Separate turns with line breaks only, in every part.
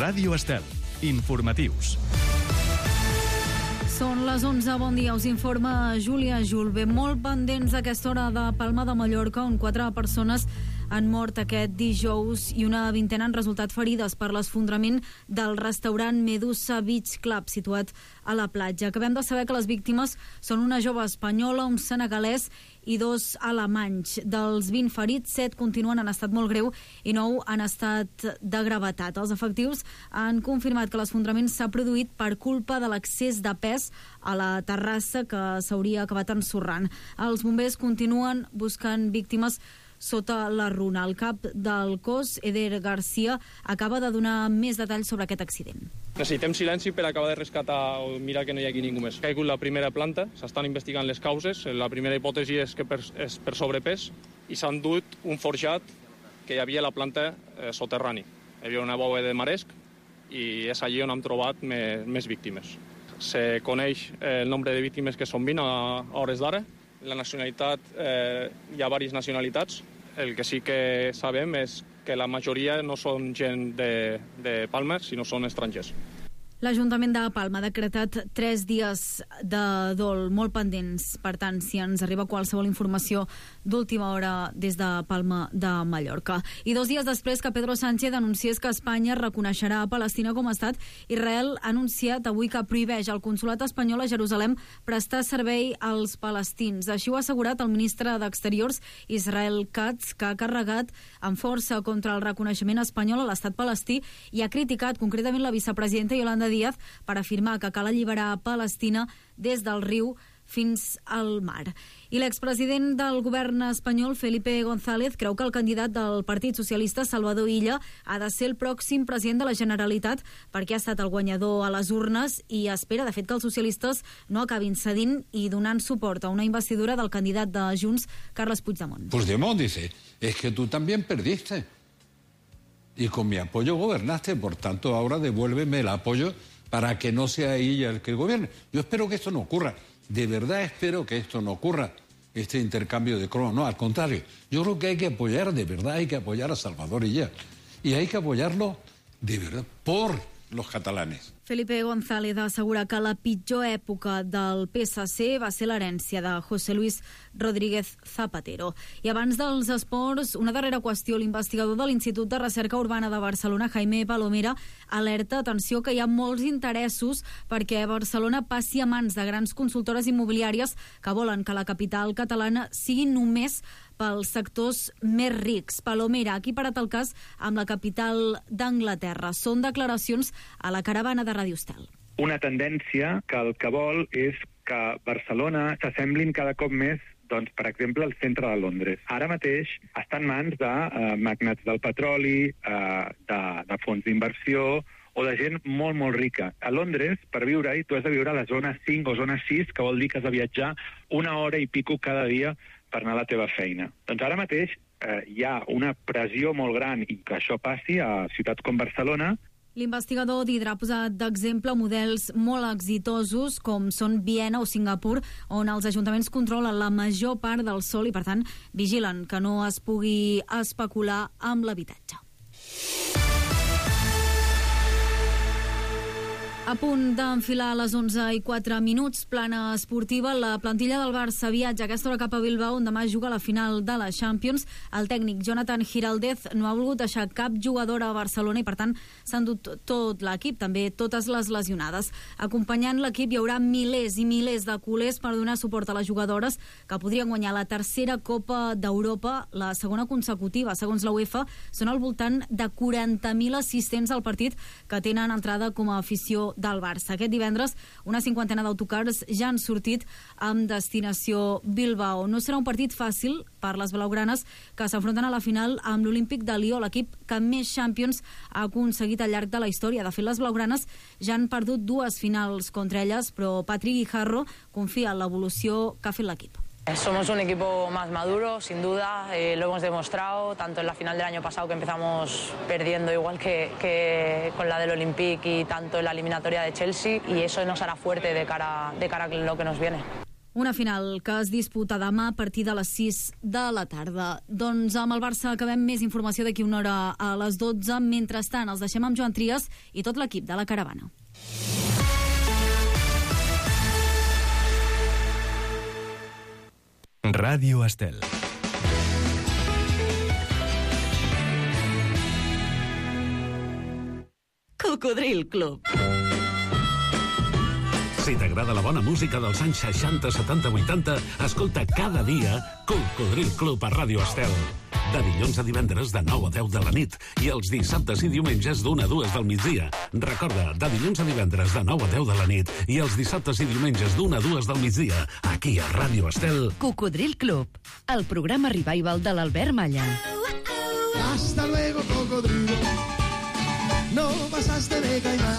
Ràdio Estel. Informatius.
Són les 11, bon dia, us informa Júlia Julve. Molt pendents a aquesta hora de Palma de Mallorca, on 4 persones han mort aquest dijous i una vintena han resultat ferides per l'esfondrament del restaurant Medusa Beach Club, situat a la platja. Acabem de saber que les víctimes són una jove espanyola, un senegalès i 2 alemanys. Dels 20 ferits, 7 continuen en estat molt greu i 9 han estat de gravetat. Els efectius han confirmat que l'esfondrament s'ha produït per culpa de l'excés de pes a la terrassa que s'hauria acabat ensorrant. Els bombers continuen buscant víctimes sota la runa. El cap del cos, Eder Garcia, acaba de donar més detalls sobre aquest accident.
Necessitem silenci per acabar de rescatar o mirar que no hi hagi ningú més. Ha caigut la primera planta, s'estan investigant les causes. La primera hipòtesi és que és per sobrepès i s'han dut un forjat que hi havia a la planta soterrani. Hi havia una bòbeda de maresc i és allí on hem trobat més víctimes. Se coneix el nombre de víctimes que són 20 a hores d'ara. La nacionalitat, hi ha diverses nacionalitats. El que sí que sabem és que la majoria no són gent de Palma, sinó són estrangers.
L'Ajuntament de Palma ha decretat 3 dies de dol molt pendents. Per tant, si ens arriba qualsevol informació d'última hora des de Palma de Mallorca. I 2 dies després que Pedro Sánchez anunciés que Espanya reconeixerà a Palestina com a estat, Israel ha anunciat avui que prohibeix al consolat espanyol a Jerusalem prestar servei als palestins. Així ho ha assegurat el ministre d'Exteriors, Israel Katz, que ha carregat amb força contra el reconeixement espanyol a l'estat palestí i ha criticat concretament la vicepresidenta Yolanda Díaz per afirmar que cal alliberar Palestina des del riu fins al mar. I l'expresident del govern espanyol, Felipe González, creu que el candidat del Partit Socialista, Salvador Illa, ha de ser el pròxim president de la Generalitat perquè ha estat el guanyador a les urnes i espera, de fet, que els socialistes no acabin cedint i donant suport a una investidura del candidat de Junts, Carles Puigdemont.
Puigdemont dice, es que tú también perdiste. Y con mi apoyo gobernaste, por tanto ahora devuélveme el apoyo para que no sea ella el que gobierne. Yo espero que esto no ocurra, de verdad espero que esto no ocurra, este intercambio de cromos, no, al contrario, yo creo que hay que apoyar, de verdad hay que apoyar a Salvador Illa, y hay que apoyarlo de verdad por los catalanes.
Felipe González assegura que la pitjor època del PSC va ser l'herència de José Luis Rodríguez Zapatero. I abans dels esports, una darrera qüestió. L'investigador de l'Institut de Recerca Urbana de Barcelona, Jaime Palomera, alerta, atenció, que hi ha molts interessos perquè Barcelona passi a mans de grans consultores immobiliàries que volen que la capital catalana sigui només pels sectors més rics. Palomera ha equiparat el cas amb la capital d'Anglaterra. Són declaracions a la caravana de Radio Estel.
Una tendència que el que vol és que Barcelona s'assemblin cada cop més, doncs, per exemple, al centre de Londres. Ara mateix està en mans de magnats del petroli, de fons d'inversió o de gent molt, molt rica. A Londres, per viure-hi, tu has de viure a la zona 5 o zona 6, que vol dir que has de viatjar 1 hora i pico cada dia per anar a la teva feina. Doncs ara mateix hi ha una pressió molt gran i que això passi a ciutats com Barcelona.
L'investigador d'Hidra ha posat d'exemple models molt exitosos com són Viena o Singapur, on els ajuntaments controlen la major part del sòl i, per tant, vigilen que no es pugui especular amb l'habitatge. A punt d'enfilar a les 11:04, plana esportiva. La plantilla del Barça viatja aquesta hora cap a Bilbao, on demà juga la final de la Champions. El tècnic Jonathan Giraldez no ha volgut deixar cap jugadora a Barcelona i, per tant, s'ha endut tot l'equip, també totes les lesionades. Acompanyant l'equip hi haurà milers i milers de culers per donar suport a les jugadores que podrien guanyar la tercera Copa d'Europa, la segona consecutiva. Segons la UEFA, són al voltant de 40.000 assistents al partit que tenen entrada com a afició del Barça. Aquest divendres, una 50ena d'autocars ja han sortit amb destinació Bilbao. No serà un partit fàcil per les blaugranes, que s'enfronten a la final amb l'Olímpic de Lió, l'equip que més Champions ha aconseguit al llarg de la història. De fet, les blaugranes ja han perdut 2 finals contra elles, però Patrick Guijarro confia en l'evolució que ha fet l'equip.
Somos un equipo más maduro, sin duda, lo hemos demostrado, tanto en la final del año pasado que empezamos perdiendo igual que con la del Olympique y tanto en la eliminatoria de Chelsea, y eso nos hará fuerte de cara a lo que nos viene.
Una final que es disputa demà a partir de les 6 de la tarda. Doncs amb el Barça acabem, més informació d'aquí una hora a les 12. Mentrestant, els deixem amb Joan Trias i tot l'equip de la Caravana.
Ràdio Estel.
Cocodril Club.
Si t'agrada la bona música dels anys 60, 70, 80, escolta cada dia Cocodril Club a Ràdio Estel. De dilluns a divendres de 9 a 10 de la nit i els dissabtes i diumenges d'1 a 2 del migdia. Recorda, de dilluns a divendres de 9 a 10 de la nit i els dissabtes i diumenges d'1 a 2 del migdia, aquí a Ràdio Estel.
Cocodril Club, el programa revival de l'Albert Malla.
Hasta luego, cocodrilo. No pasaste de caimán.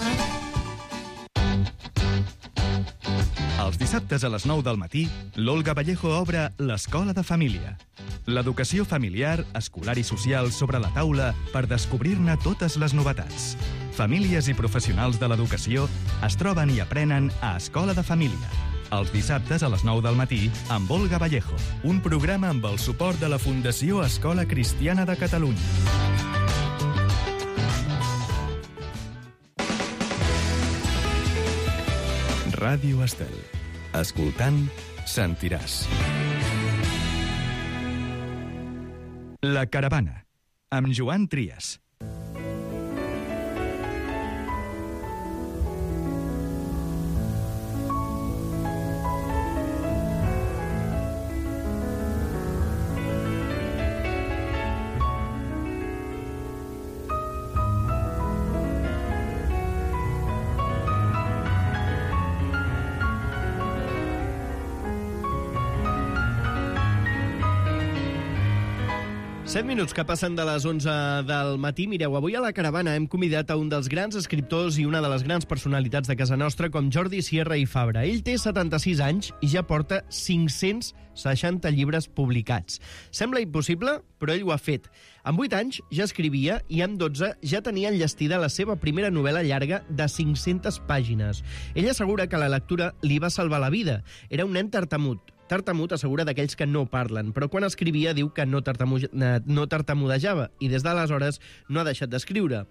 Els dissabtes a les 9 del matí, l'Olga Vallejo obre l'Escola de Família. L'educació familiar, escolar i social sobre la taula per descobrir-ne totes les novetats. Famílies i professionals de l'educació es troben i aprenen a Escola de Família. Els dissabtes a les 9 del matí amb Olga Vallejo. Un programa amb el suport de la Fundació Escola Cristiana de Catalunya. Ràdio Estel. Escoltant, sentiràs. La Caravana, amb Joan Trias.
Set minuts que passen de les 11 del matí. Mireu, avui a la Caravana hem convidat a un dels grans escriptors i una de les grans personalitats de casa nostra, com Jordi Sierra i Fabra. Ell té 76 anys i ja porta 560 llibres publicats. Sembla impossible, però ell ho ha fet. Amb 8 anys ja escrivia i amb 12 ja tenia enllestida la seva primera novel·la llarga de 500 pàgines. Ell assegura que la lectura li va salvar la vida. Era un nen tartamut. Tartamut assegura d'aquells que no parlen, però quan escrivia diu que no tartamudejava i des d'aleshores no ha deixat d'escriure.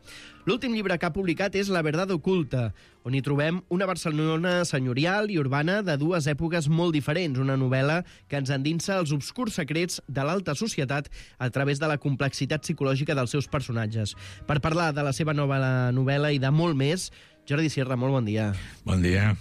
L'últim llibre que ha publicat és La verdad oculta, on hi trobem una Barcelona senyorial i urbana de dues èpoques molt diferents, una novel·la que ens endinsa els obscurs secrets de l'alta societat a través de la complexitat psicològica dels seus personatges. Per parlar de la seva nova novel·la i de molt més, Jordi Sierra, molt bon dia.
Bon dia.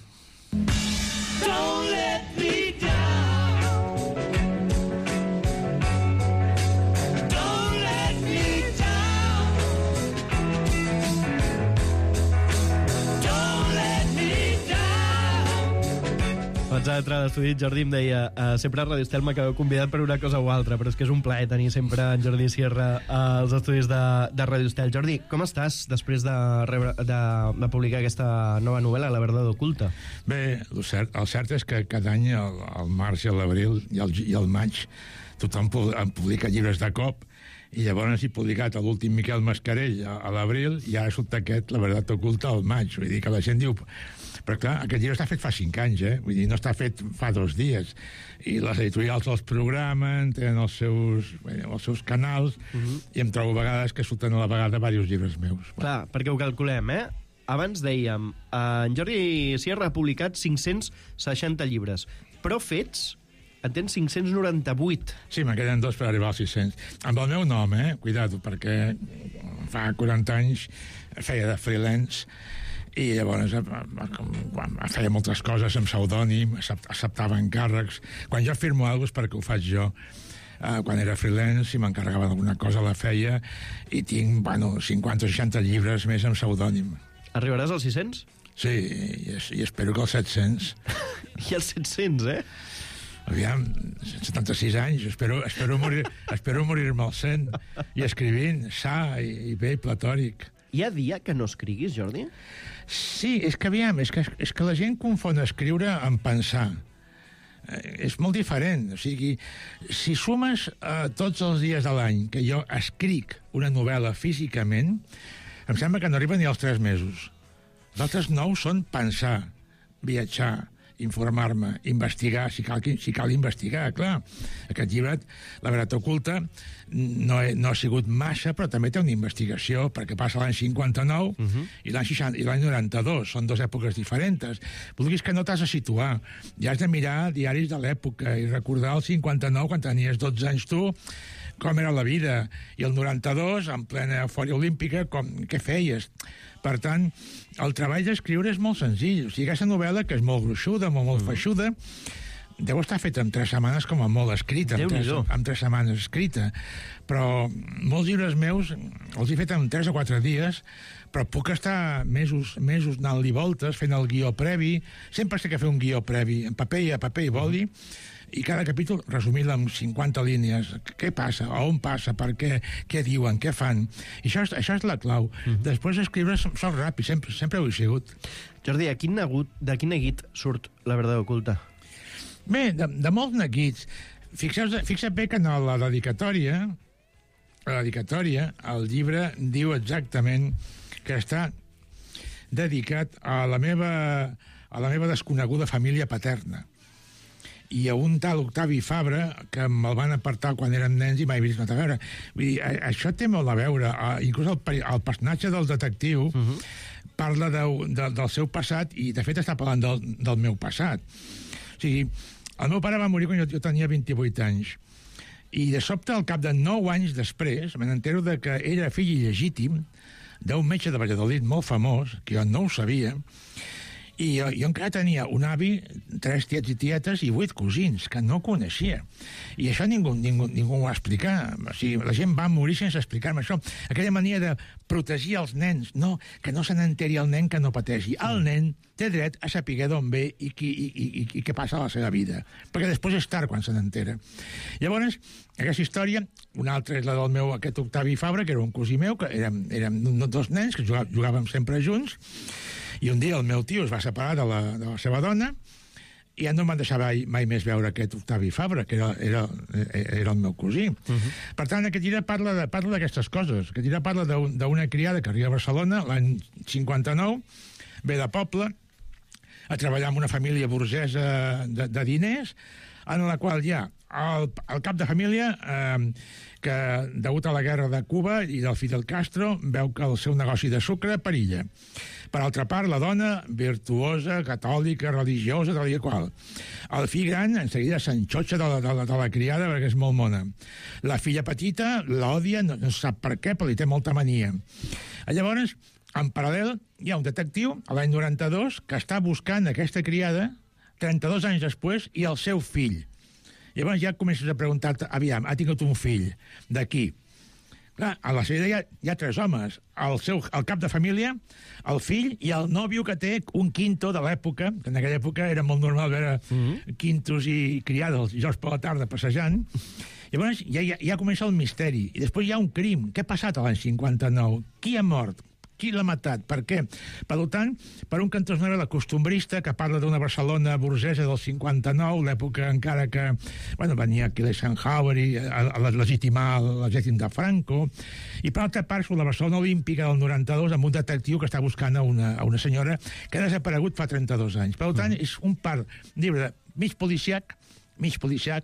Abans d'entrar a l'estudi, Jordi em deia sempre a Ràdio Estel m'acabeu convidat per una cosa o altra, però és que és un plaer tenir sempre en Jordi Sierra als estudis de Ràdio Estel. Jordi, com estàs després de publicar aquesta nova novel·la, La verdad oculta?
Bé, el cert és que cada any, al març i a l'abril i al maig, tothom publica llibres de cop, i llavors he publicat l'últim Miquel Mascarell a l'abril i ara surt aquest La verdad oculta al maig. Vull dir que la gent diu... Però clar, aquest llibre està fet fa 5 anys, Vull dir, no està fet fa 2 dies. I les editorials els programen, tenen els seus canals, i em trobo a vegades que surten a la vegada diversos llibres meus.
Clar, perquè ho calculem, Abans dèiem, en Jordi Sierra ha publicat 560 llibres, però fets... En tens 598.
Sí, me'n queden 2 per arribar als 600. Amb el meu nom, cuidado, perquè fa 40 anys feia de freelance i llavors feia moltes coses amb pseudònim, acceptava encàrrecs. Quan jo firmo alguna cosa és perquè ho faig jo. Quan era freelance i m'encarregava d'alguna cosa la feia i tinc, 50 o 60 llibres més amb pseudònim.
Arribaràs als 600?
Sí, i espero que als 700.
I als 700,
Aviam, 76 anys, espero morir-me al 100 i escrivint, sa i bé, platòric.
Hi ha dia que no escriguis, Jordi?
Sí, és que la gent confon escriure amb pensar. És molt diferent. O sigui, si sumes tots els dies de l'any que jo escric una novel·la físicament, em sembla que no arriba ni als 3 mesos. Els altres 9 són pensar, viatjar, informar-me, investigar, si cal investigar, clar. Aquest llibre, La veritat oculta, no ha sigut massa, però també té una investigació, perquè passa l'any 59 i l'any 92, són dues èpoques diferents. Vulguis que no t'has de situar, ja has de mirar diaris de l'època i recordar el 59, quan tenies 12 anys tu, com era la vida, i el 92, en plena eufòria olímpica, què feies? Per tant, el treball d'escriure és molt senzill. O sigui, aquesta novel·la, que és molt gruixuda, molt feixuda, deu estar feta en 3 setmanes com a molt escrita, en 3 setmanes escrita. Però molts llibres meus els he fet en 3 o 4 dies, però puc estar mesos anant-li voltes, fent el guió previ. Sempre sé que fer un guió previ, en paper i boli, i cada capítol resumir-lo en 50 línies. Què passa? A on passa? Per què? Què diuen? Què fan? I això és la clau. Després escriure sol ràpid, sempre ho he sigut.
Jordi, de quin neguit surt La veritat oculta?
Bé, de molts neguits. Fixa't bé que en la dedicatòria, el llibre diu exactament que està dedicat a la meva desconeguda família paterna. I a un tal Octavi Fabra, que me'l van apartar quan érem nens i mai he vist a veure. Vull dir, això té molt a veure. Inclús el personatge del detectiu parla del seu passat i, de fet, està parlant del meu passat. O sigui, el meu pare va morir quan jo tenia 28 anys. I, de sobte, al cap de 9 anys després, me n'entero que era fill il·legítim d'un metge de Valladolid molt famós, que jo no ho sabia, i jo encara tenia un avi, 3 tiets i tietes i 8 cosins, que no coneixia. I això ningú ho va explicar. O sigui, la gent va morir sense explicar-me això. Aquella mania de protegir els nens, que no se n'enteri el nen que no pateixi. El nen té dret a saber d'on ve i què passa a la seva vida. Perquè després és tard quan se n'entera. Llavors, aquesta història, una altra és la del meu, aquest Octavi Fabra, que era un cosí meu, que érem 2 nens que jugàvem sempre junts, i un dia el meu tio es va separar de la seva dona i ja no em van deixar mai més veure aquest Octavi Fabra, que era el meu cosí. Per tant, aquest llibre parla d'aquestes coses. Aquest llibre parla d'una criada que arriba a Barcelona l'any 59, ve de poble, a treballar en una família burgesa de diners, en la qual hi ha el cap de família que, degut a la guerra de Cuba i del Fidel Castro, veu que el seu negoci de sucre perilla. Per altra part, la dona, virtuosa, catòlica, religiosa, tal i qual. El fill gran, en seguida, s'enxotxa de la criada perquè és molt mona. La filla petita l'odia, no sap per què, però li té molta mania. Llavors, en paral·lel, hi ha un detectiu, a l'any 92, que està buscant aquesta criada 32 anys després i el seu fill. Llavors ja comences a preguntar-te, aviam, ha tingut un fill, d'aquí? Clar, a la sèrie hi ha 3 homes, el cap de família, el fill i el nòvio que té un quinto de l'època, que en aquella època era molt normal veure quintos i criades els dijous per la tarda passejant. Llavors ja comença el misteri. I després hi ha un crim. Què ha passat a l'any 59? Qui ha mort? Qui l'ha matat? Per què? Per tant, per un cantó és una novel·la costumbrista que parla d'una Barcelona burgesa del 59, l'època encara que venia Eisenhower a legitimar l'exèrcit de Franco, i per altra part, sobre la Barcelona olímpica del 92, amb un detectiu que està buscant a una senyora que ha desaparegut fa 32 anys. Per tant, és un llibre mig policiac,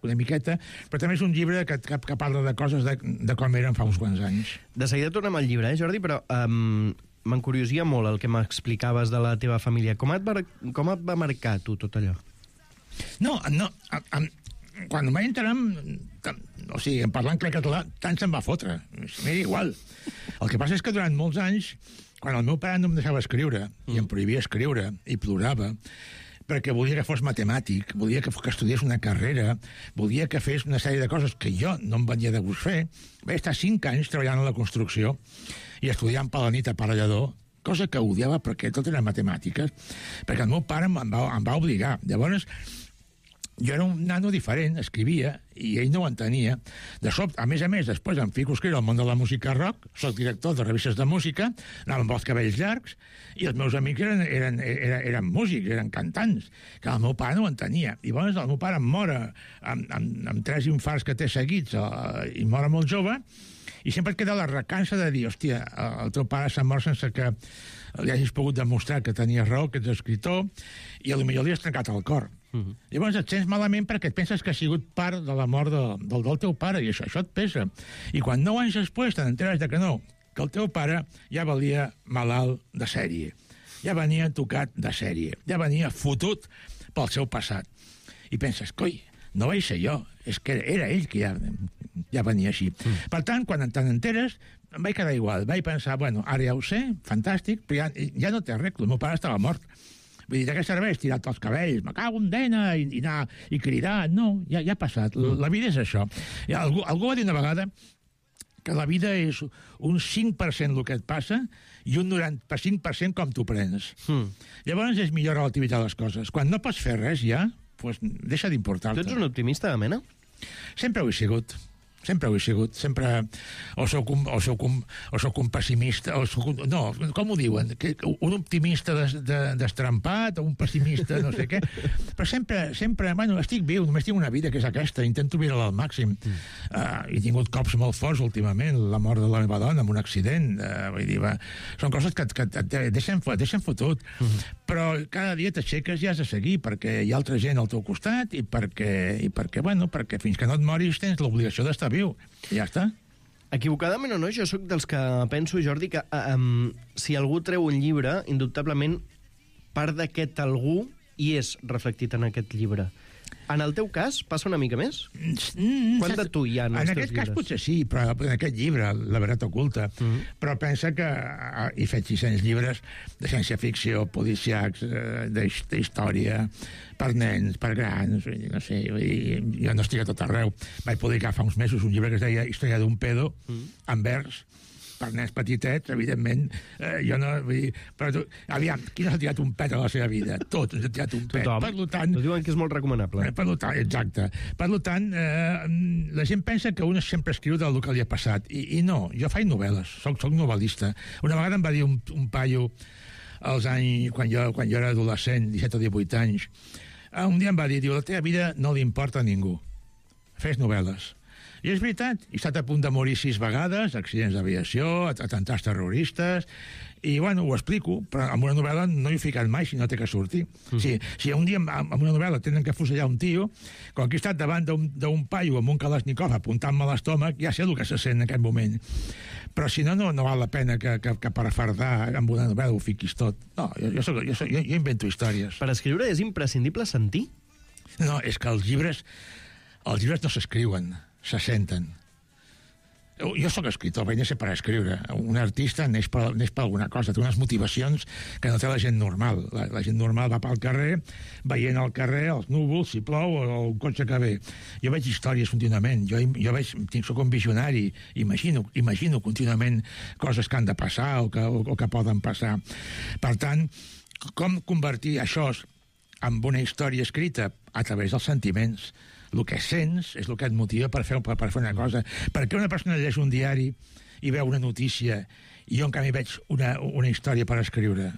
una miqueta, però també és un llibre que parla de coses de com eren fa uns quants anys.
De seguida tornem al llibre, Jordi, però m'encuriosia molt el que m'explicaves de la teva família. Com et va marcar, tu, tot allò?
No, quan em vaig enterar, o sigui, en parlant català, tant se'm va fotre. M'era igual. El que passa és que durant molts anys, quan el meu pare no em deixava escriure, i em prohibia escriure, i plorava, perquè volia que fos matemàtic, volia que estudiés una carrera, volia que fes una sèrie de coses que jo no em venia de gust fer. Vaig estar 5 anys treballant a la construcció i estudiant per la nit a Parellador, cosa que odiava perquè tot eren matemàtiques, perquè el meu pare em va obligar. Llavors, jo era un nano diferent, escrivia, i ell no ho entenia. De sobte, a més, després em fico a escriure al món de la música rock, soc director de revistes de música, anava amb els cabells llargs, i els meus amics eren músics, eren cantants, que el meu pare no ho entenia. I llavors el meu pare em mor amb 3 infarts que té seguits, i mor molt jove, I sempre et queda la recança de dir, hòstia, el teu pare s'ha mort sense que li hagis pogut demostrar que tenies raó, que ets escritor, i potser li has trencat el cor. Llavors et sents malament perquè et penses que ha sigut part de la mort del teu pare, i això et pesa. I quan 9 anys després te n'enteres que no, que el teu pare ja valia malalt de sèrie, ja venia tocat de sèrie, ja venia fotut pel seu passat. I penses, coi, no vaig ser jo, és que era ell que ja venia així. Per tant, quan te n'enteres, em vaig quedar igual. Vaig pensar, bueno, ara ja ho sé, fantàstic, però ja no té arreglo, el meu pare estava mort. Vull dir, de què serveix tirar-te els cabells, me cago en dena, i anar i cridar? No, ja ha passat. La vida és això. Algú va dir una vegada que la vida és un 5% el que et passa i un 95% com t'ho prens. Llavors és millor relativitzar les coses. Quan no pots fer res ja, doncs deixa d'importar-te.
Tu ets un optimista de mena?
Sempre ho he sigut. Sempre ho he sigut. Sempre o soc un pessimista, no, com ho diuen? Un optimista destrampat o un pessimista no sé què. Però sempre, bueno, estic viu, només tinc una vida que és aquesta, intento viure-la al màxim. He tingut cops molt forts últimament, la mort de la meva dona en un accident, vull dir, són coses que et deixen fotut. Però cada dia t'aixeques i has de seguir perquè hi ha altra gent al teu costat i perquè fins que no et moris tens l'obligació d'estar viu. I ja està.
Equivocadament o no, jo sóc dels que penso, Jordi, que si algú treu un llibre, indubtablement part d'aquest algú hi és reflectit en aquest llibre. En el teu cas, passa una mica més? Quant de tu hi ha en els teus llibres?
En aquest cas potser sí, però en aquest llibre, La veritat oculta, però pensa que he fet 600 llibres de ciència-ficció, policiacs, d'història, per nens, per grans, no sé, jo no estic a tot arreu. Vaig publicar fa uns mesos un llibre que es deia Història d'un pedo, en vers, per nens petitets, evidentment, jo no... Vull dir, però tu, aviam, qui no s'ha tirat un pet a la seva vida? Tots ens ha tirat un pet.
Tothom.
Per tant...
Ho diuen que és molt recomanable.
Exacte. Per tant, la gent pensa que un sempre escriu del que li ha passat. I no, jo faig novel·les, soc novel·lista. Una vegada em va dir un paio als anys, quan jo era adolescent, 17 o 18 anys, un dia em va dir, la teva vida no li importa a ningú. Fes novel·les. I és veritat, he estat a punt de morir 6 vegades, accidents d'aviació, atemptats terroristes, i bueno, ho explico, però en una novel·la no hi he ficat mai si no té que sortir. Si un dia en una novel·la tenen que fusellar un tio, com que he estat davant d'un paio amb un Kalashnikov apuntant-me a l'estómac, ja sé el que se sent en aquest moment. Però si no val la pena que per fardar amb una novel·la ho fiquis tot. No, jo invento històries.
Per escriure és imprescindible sentir?
No, és que els llibres no s'escriuen, se senten. Jo sóc escritor, vaig néixer per escriure. Un artista neix per alguna cosa, té unes motivacions que no té la gent normal. La gent normal va pel carrer, veient al carrer els núvols, si plou, o el cotxe que ve. Jo veig històries contínuament, soc un visionari, imagino contínuament coses que han de passar o que poden passar. Per tant, com convertir això en una història escrita? A través dels sentiments. El que sents és el que et motiva per fer una cosa. Per què una persona llegeix un diari i veu una notícia i jo en canvi veig una història per escriure?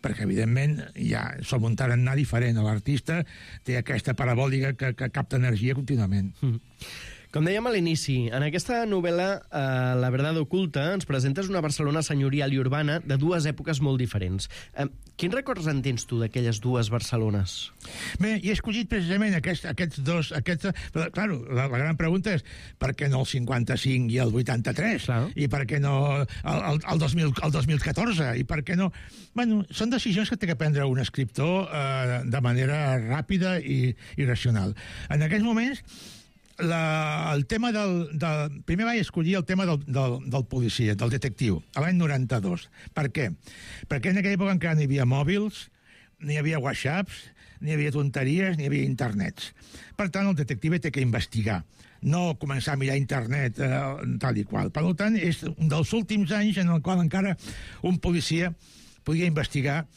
Perquè evidentment ja som un tarannà diferent. L'artista té aquesta parabòlica que capta energia contínuament.
Com dèiem a l'inici, en aquesta novel·la La verdad oculta ens presentes una Barcelona senyorial i urbana de dues èpoques molt diferents. Quins records en tens tu d'aquelles dues Barcelones?
Bé, he escollit precisament aquests dos... Però, clar, la gran pregunta és per què no el 55 i el 83? Clar. I per què no el 2014? I per què no... Bueno, són decisions que té que prendre un escriptor de manera ràpida i racional. En aquests moments... el tema primer vaig escollir el tema del policia, del detectiu, a l'any 92. Per què? Perquè en aquella època encara no hi havia mòbils, ni hi havia whatsapps, ni hi havia tonteries, ni hi havia internets. Per tant, el detectiu té que investigar, no començar a mirar internet tal i qual. Per tant, és un dels últims anys en el qual encara un policia podia investigar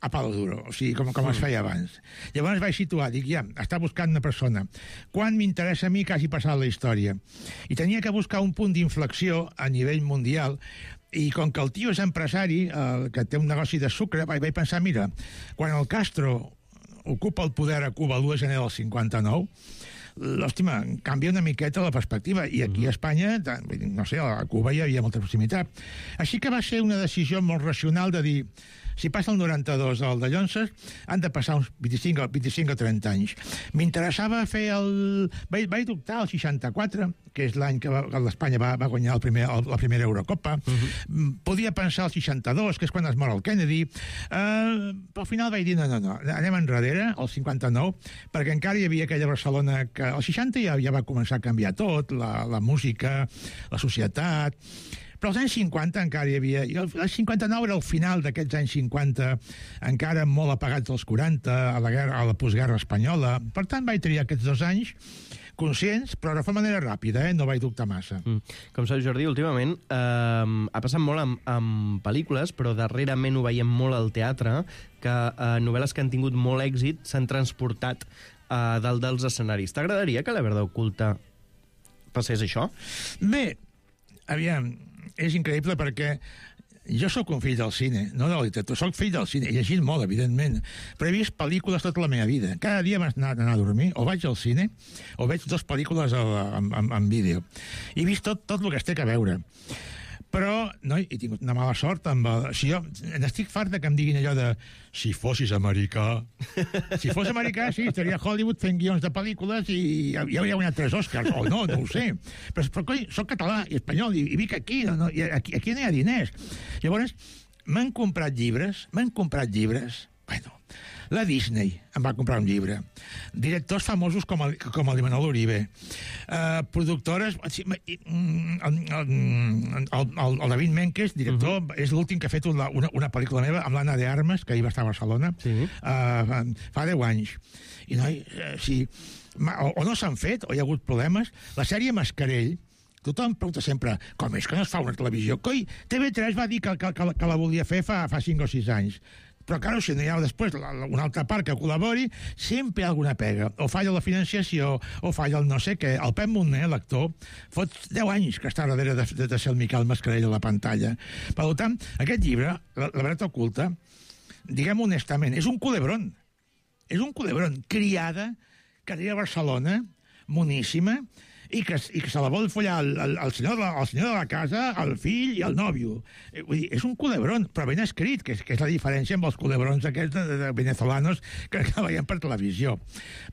a palo duro, o sigui, com es feia abans. Llavors vaig situar, dic, ja, està buscant una persona. Quan m'interessa a mi que hagi passat la història? I tenia que buscar un punt d'inflexió a nivell mundial, i com que el tio és empresari, que té un negoci de sucre, vaig pensar, mira, quan el Castro ocupa el poder a Cuba l'1 de gener del 59, l'òstima, canvia una miqueta la perspectiva, i aquí a Espanya, no sé, a Cuba hi havia molta proximitat. Així que va ser una decisió molt racional de dir, si passa el 92 al de Llonses, han de passar uns 25 o 30 anys. M'interessava fer el... Vaig dubtar el 64, que és l'any que l'Espanya va guanyar la primera Eurocopa. Podia pensar el 62, que és quan es mor el Kennedy. Però al final vaig dir, no, anem enrere, el 59, perquè encara hi havia aquella Barcelona que... El 60 ja va començar a canviar tot, la música, la societat... Però als anys 50 encara hi havia... I el 59 era el final d'aquests anys 50, encara molt apagats dels 40, a la postguerra espanyola. Per tant, vaig triar aquests 2 anys conscients, però de manera ràpida, no vaig dubtar massa.
Com saps, Jordi, últimament ha passat molt amb pel·lícules, però darrerament ho veiem molt al teatre, que novel·les que han tingut molt èxit s'han transportat a dalt dels escenaris. T'agradaria que La Verdad Oculta passés això?
Bé, aviam, és increïble perquè jo sóc un fill del cine, no de la literatura, sóc fill del cine, he llegit molt, evidentment, però he vist pel·lícules tota la meva vida. Cada dia m'has d'anar a dormir, o vaig al cine, o veig 2 pel·lícules en vídeo. He vist tot el que es té que veure. Però, no, he tingut una mala sort amb... Si jo n'estic fart que em diguin allò de si fossis americà. Si fos americà, sí, estaria a Hollywood fent guions de pel·lícules i ja hauria guanyat 3 Oscars, o no ho sé. Però coi, soc català i espanyol i vic aquí, i aquí no hi ha diners. Llavors, m'han comprat llibres, bueno, la Disney em va comprar un llibre. Directors famosos com el Imanol Uribe. Productores... El David Menkes, director, és l'últim que ha fet una pel·lícula meva amb l'Anna de Armas, que ahir va estar a Barcelona, fa 10 anys. I o no s'han fet, o hi ha hagut problemes. La sèrie Mascarell, tothom pregunta sempre, com és que no es fa una televisió? Coi, TV3 va dir que la volia fer fa 5 o 6 anys. Però, claro, si no hi ha després una altra part que col·labori, sempre hi ha alguna pega. O falla la financiació, o falla el no sé què. El Pep Monner, l'actor, fot 10 anys que està darrere de ser el Miquel Mascarell a la pantalla. Per tant, aquest llibre, La Verdad Oculta, diguem honestament, és un culebron. És un culebron. Criada, que arriba a Barcelona, moníssima, i que se la vol follar el senyor de la casa, el fill i el nòvio. Vull dir, és un culebron, però ben escrit, que és la diferència amb els culebrons aquests de venezolanos que veiem per televisió.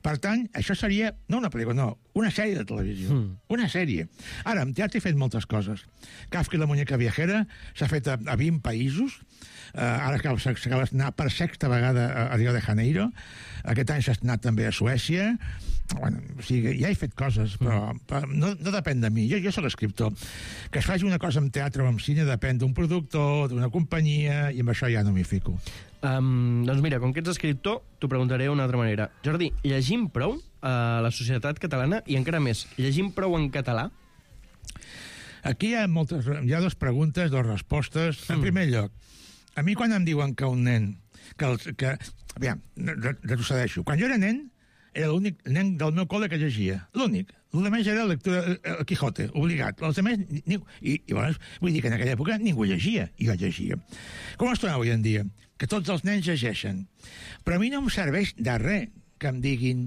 Per tant, això seria, no una pel·lícula, no, una sèrie de televisió. Una sèrie. Ara, en teatre he fet moltes coses. Kafka i la muñeca viajera s'ha fet a 20 països. Ara s'acaba d'estrenar per 6ª vegada a Rio de Janeiro. Aquest any s'ha estrenat també a Suècia. Bueno, o sigui, ja he fet coses, però no depèn de mi. Jo soc escriptor. Que es faci una cosa amb teatre o amb cine depèn d'un productor, d'una companyia, i amb això ja no m'hi fico.
Doncs mira, com que ets escriptor, t'ho preguntaré d'una altra manera. Jordi, llegim prou a la societat catalana, i encara més, llegim prou en català?
Aquí hi ha 2 preguntes, 2 respostes. En primer lloc, a mi quan em diuen que un nen... Aviam, retrocedeixo. Quan jo era nen, era l'únic nen del meu col·le que llegia. L'únic. El més era lectura el Quijote, obligat. Els altres, i llavors, vull dir que en aquella època ningú llegia, i jo llegia. Com es troba avui en dia? Que tots els nens llegeixen. Però a mi no em serveix de res que em diguin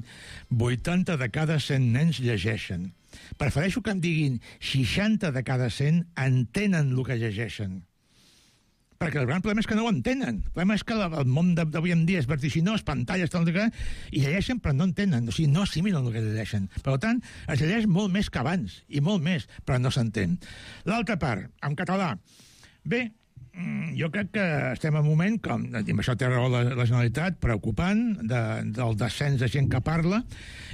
80 de cada 100 nens llegeixen. Prefereixo que em diguin 60 de cada 100 entenen el que llegeixen. Perquè el gran problema és que no ho entenen. El problema és que el món d'avui en dia és vertiginós, pantalles, tal, i llegeixen però no entenen, o sigui, no assimilen el que llegeixen. Per tant, es llegeix molt més que abans, i molt més, però no s'entén. L'altra part, en català. Bé, jo crec que estem en un moment, com això té raó la Generalitat, preocupant, del descens de gent que parla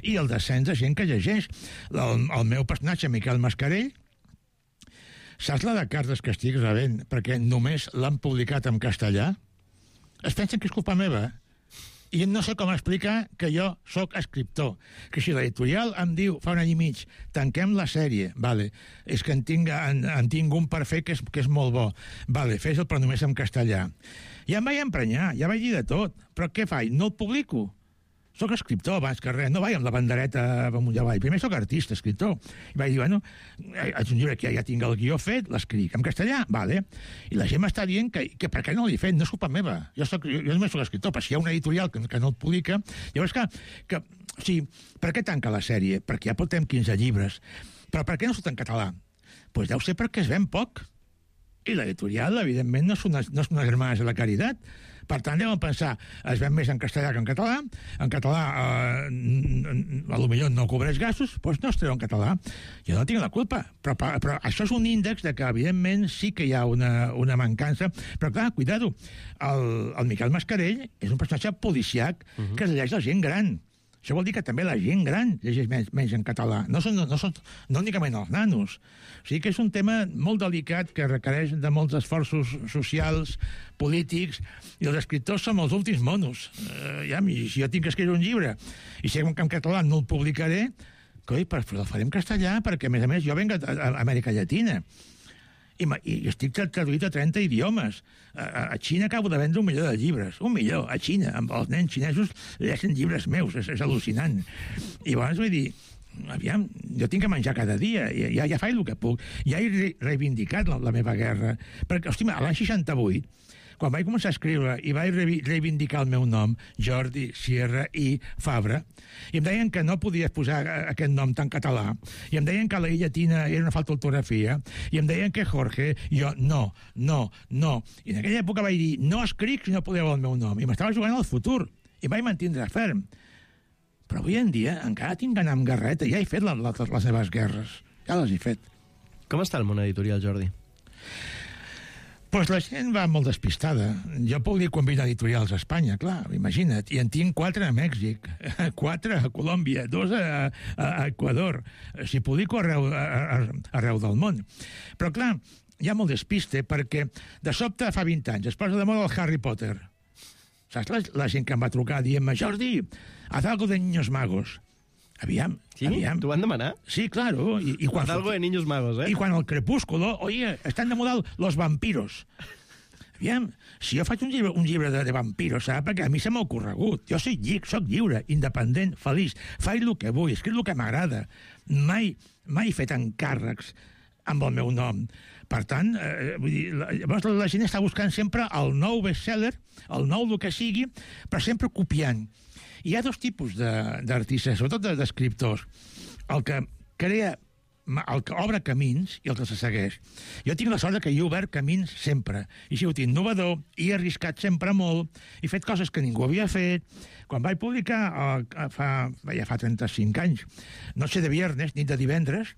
i el descens de gent que llegeix. El meu personatge, Miquel Mascarell, saps la de cartes que estic rebent perquè només l'han publicat en castellà? Es pensen que és culpa meva. I no sé com explicar que jo sóc escriptor. Que si l'editorial em diu fa un any i mig tanquem la sèrie, vale, és que en tinc un per fer que és molt bo. Vale, fes-el però només en castellà. Ja em vaig emprenyar, ja vaig dir de tot. Però què faig? No el publico. Soc escriptor abans que res, no vaig amb la bandereta amunt i avall. Primer soc artista, escriptor. I vaig dir, bueno, és un llibre que ja tinc el guió fet, l'escric en castellà, vale. I la gent m'està dient que per què no l'he fet, no és culpa meva. Jo només soc escriptor, però si hi ha un editorial que no el publica, llavors que O sigui, per què tanca la sèrie? Perquè ja portem 15 llibres. Però per què no surt en català? Doncs deu ser perquè es ven poc. I l'editorial, evidentment, no és una germana de la caritat. Per tant, deuen pensar, es ven més en castellà que en català. En català, potser no cobreix gastos, doncs no es treu en català. Jo no tinc la culpa. Però això és un índex de que, evidentment, sí que hi ha una mancança. Però, clar, cuidado, el Miquel Mascarell és un personatge policiac que es llegeix la gent gran. Això vol dir que també la gent gran llegeix menys en català. No únicament els nanos. O sigui que és un tema molt delicat que requereix de molts esforços socials, polítics, i els escriptors som els últims monos. Si jo tinc que escriure un llibre i sé que en català no el publicaré, però el faré en castellà perquè, a més, jo venc d'Amèrica Llatina. I estic traduït a 30 idiomes. A Xina acabo de vendre 1 milió de llibres. 1 milió, a Xina. Amb els nens xinesos llegeixen llibres meus. És al·lucinant. I llavors vull dir, aviam, jo tinc que menjar cada dia. Ja faig el que puc. Ja he reivindicat la meva guerra. Perquè, hòstia, l'any 68, quan vaig començar a escriure i vaig reivindicar el meu nom, Jordi Sierra i Fabra, i em deien que no podies posar aquest nom tan català, i em deien que la I llatina era una falta d'ortografia, i em deien que Jorge, jo no. I en aquella època vaig dir, no escric si no podeu el meu nom, i m'estava jugant al futur, i vaig mantindre ferm. Però avui en dia encara tinc d'anar amb garreta, ja he fet les meves guerres, ja les he fet.
Com està el món editorial, Jordi?
Doncs la gent va molt despistada. Jo puc dir quan vinc editorials a Espanya, clar, imagina't. I en tinc 4 a Mèxic, 4 a Colòmbia, 2 a Equador. Si publico arreu del món. Però, clar, hi ha molt despiste perquè de sobte fa 20 anys es posa de moda el Harry Potter. Saps la gent que em va trucar dient-me, Jordi, haz algo de niños magos. Aviam.
¿T'ho van demanar?
Sí, claro.
Haz algo de niños magos,
Y cuando el crepúsculo, oye, están de moda los vampiros. Aviam, si jo faig un llibre de vampiros, saps? Perquè a mi se m'ha ocorregut. Jo soc lliure, independent, feliç. Faig el que vull, escric el que m'agrada. Mai he fet encàrrecs amb el meu nom. Per tant, la gent està buscant sempre el nou bestseller, el nou el que sigui, però sempre copiant. Hi ha 2 tipus d'artistes, sobretot d'escriptors. El que crea, el que obre camins i el que se segueix. Jo tinc la sort que he obert camins sempre. He sigut innovador, he arriscat sempre molt, he fet coses que ningú havia fet. Quan vaig publicar, ja fa 35 anys, Noche de Viernes, nit de divendres,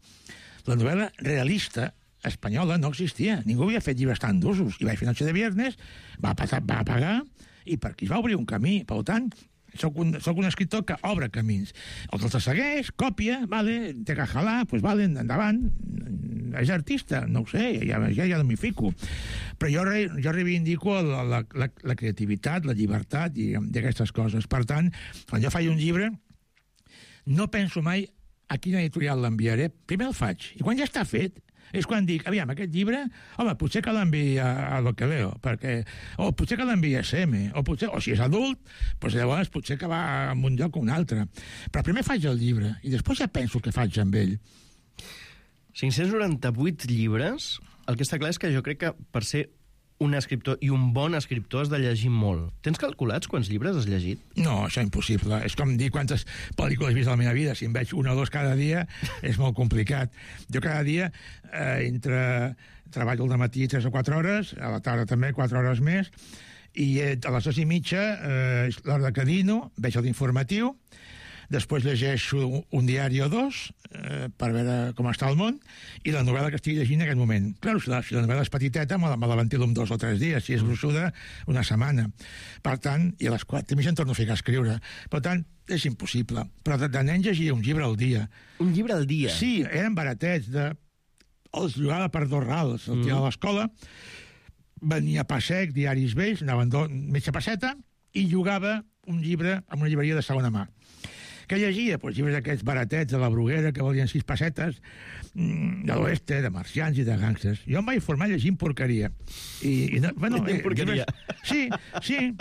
la novel·la realista espanyola no existia. Ningú havia fet llibres tan d'usos. I vaig fer Noche de Viernes, va pagar, i per aquí es va obrir un camí. Per tant, soc un escriptor que obre camins. El que els segueix, còpia, vale, té que jalar, doncs vale, endavant. És artista, no ho sé, ja no m'hi fico. Però jo reivindico la creativitat, la llibertat i aquestes coses. Per tant, quan jo faig un llibre, no penso mai a quina editorial l'enviaré. Primer el faig, i quan ja està fet, és quan dic, aviam, aquest llibre, home, potser que l'enviï a Lo que Leo, o potser que l'enviï a SM, o si és adult, doncs llavors potser que va a un lloc o un altre. Però primer faig el llibre, i després ja penso el que faig amb ell.
598 llibres, el que està clar és que jo crec que per ser un escriptor i un bon escriptor has de llegir molt. Tens calculats quants llibres has llegit?
No, això és impossible. És com dir quantes pel·lícules he vist a la meva vida. Si em veig 1 o 2 cada dia, és molt complicat. Jo cada dia treballo al matí 3 o 4 hores, a la tarda també 4 hores més, i a les 2:30 és l'hora que dino, veig l'informatiu, després llegeixo un diari o 2 per veure com està el món, i la novel·la que estic llegint en aquest moment. Clar, si la novel·la és petiteta, me la ventilo en 2 o 3 dies, si és gruixuda, una setmana. Per tant, i a les 4 em torno a ficar a escriure. Per tant, és impossible. Però de nen llegia un llibre al dia.
Un llibre al dia?
Sí, eren baratets. Els llogava per 2 rals. El tirava a l'escola, venia a Passec, diaris vells, anaven mitja passeta, i llogava un llibre en una llibreria de segona mà. Què llegia? Doncs llibres aquests baratets de la Bruguera que valien 6 pessetes, de l'oeste, de marcians i de gàngsters. Jo em vaig formar llegint porqueria.
Porqueria?
Sí.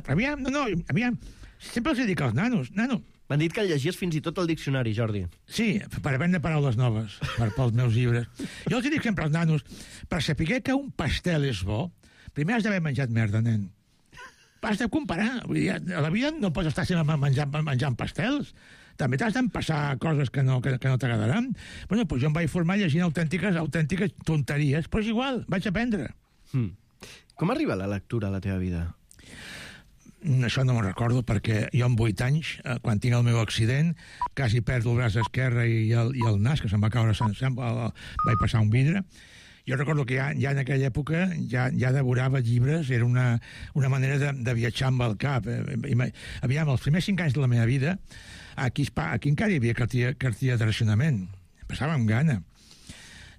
Aviam. Sempre els dic als nanos. Nano.
M'han dit que llegies fins i tot el diccionari, Jordi.
Sí, per aprendre paraules noves, pels meus llibres. Jo els dic sempre als nanos, per saber que un pastel és bo, primer has d'haver menjat merda, nen. Has de comparar. Vull dir, a la vida no pots estar sempre menjant pastels. també t'has d'empassar coses que no t'agradaran. Bueno, doncs jo em vaig formar llegint autèntiques tonteries, però és igual, vaig aprendre.
Com arriba la lectura a la teva vida?
Això no me'n recordo, perquè jo amb 8 anys, quan tinc el meu accident, quasi perdo el braç esquerre i el nas, que se'm va caure sencer, vaig passar un vidre. Jo recordo que ja en aquella època ja devorava llibres, era una manera de viatjar amb el cap. Aviam, els primers 5 anys de la meva vida, aquí encara hi havia cartilla de racionament. Passava amb gana.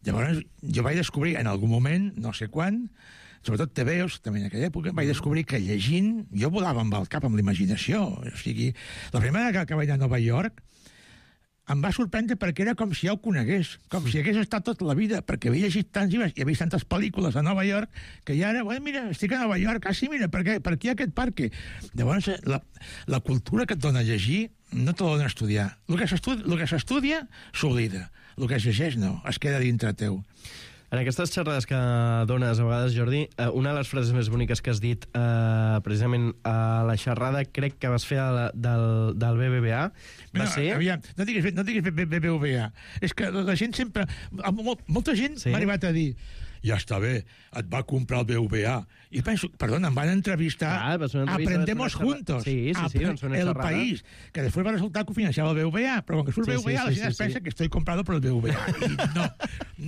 Llavors, jo vaig descobrir en algun moment, no sé quan, sobretot TVOs, també en aquella època, vaig descobrir que llegint jo volava amb el cap, amb la imaginació. O sigui, la primera que vaig anar a Nova York em va sorprendre perquè era com si ja ho conegués, com si hagués estat tota la vida, perquè havia llegit tants llibres i havia vist tantes pel·lícules a Nova York que ja era, mira, estic a Nova York, sí, mira, per aquí hi ha aquest parc. Llavors, la cultura que et dona llegir no te la dona estudiar. El que s'estudia s'oblida. El que es llegeix no, es queda dintre teu.
En aquestes xerrades que dones a vegades, Jordi, una de les frases més boniques que has dit precisament a la xerrada, crec que vas fer del BBVA, va ser...
Aviam, no diguis BBVA. És que la gent sempre... Molta gent m'ha arribat a dir ja està bé, et va comprar el BBVA. I penso, perdona, em van entrevistar Aprendemos Juntos, El País, que després va resultar que ho financiava el BBVA, però com que surt el BBVA, la gent es pensa que estoy comprado por el BBVA. I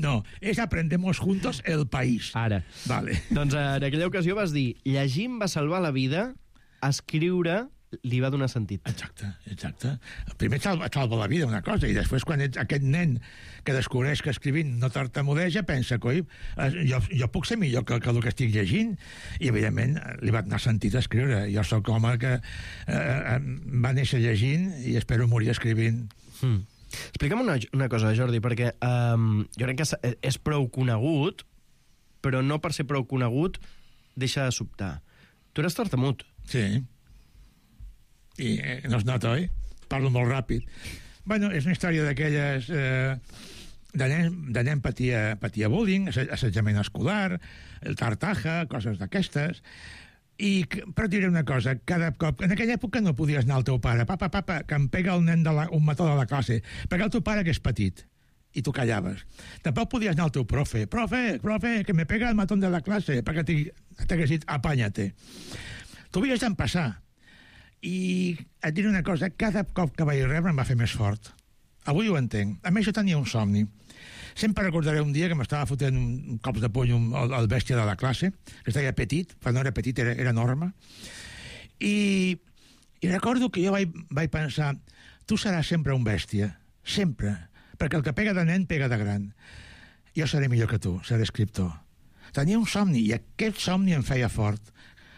no, és Aprendemos Juntos El País.
Ara.
Vale.
Doncs en aquella ocasió vas dir, llegir em va salvar la vida, escriure li va donar sentit.
Exacte. Primer et salva la vida una cosa, i després quan ets aquest nen que descobreix que escrivint no tartamudeja, pensa, coi, jo puc ser millor que el que estic llegint, i evidentment li va donar sentit escriure. Jo sóc home que va néixer llegint i espero morir escrivint.
Explica'm una cosa, Jordi, perquè jo crec que és prou conegut, però no per ser prou conegut deixa de sobtar. Tu eres tartamut.
Sí. I no es nota, oi? Parlo molt ràpid. Bueno, és una història d'aquelles... de nen patia bullying, assetjament escolar, el tartaja, coses d'aquestes... Però et diré una cosa, cada cop... En aquella època no podies anar al teu pare. Papa, que em pega el nen un mató de la classe. Pega el teu pare, que és petit. I tu callaves. Tampoc podies anar al teu profe. Profe, que me pega el matón de la classe. Perquè t'hagués dit, apanya-te. Tu havies d'empassar. I et diré una cosa, cada cop que vaig rebre em va fer més fort. Avui ho entenc. A més, jo tenia un somni. Sempre recordaré un dia que m'estava fotent cops de puny al bèstia de la classe, que estava petit, però no era petit, era enorme. I recordo que jo vaig pensar, tu seràs sempre un bèstia, sempre, perquè el que pega de nen pega de gran. Jo seré millor que tu, seré escriptor. Tenia un somni, i aquest somni em feia fort.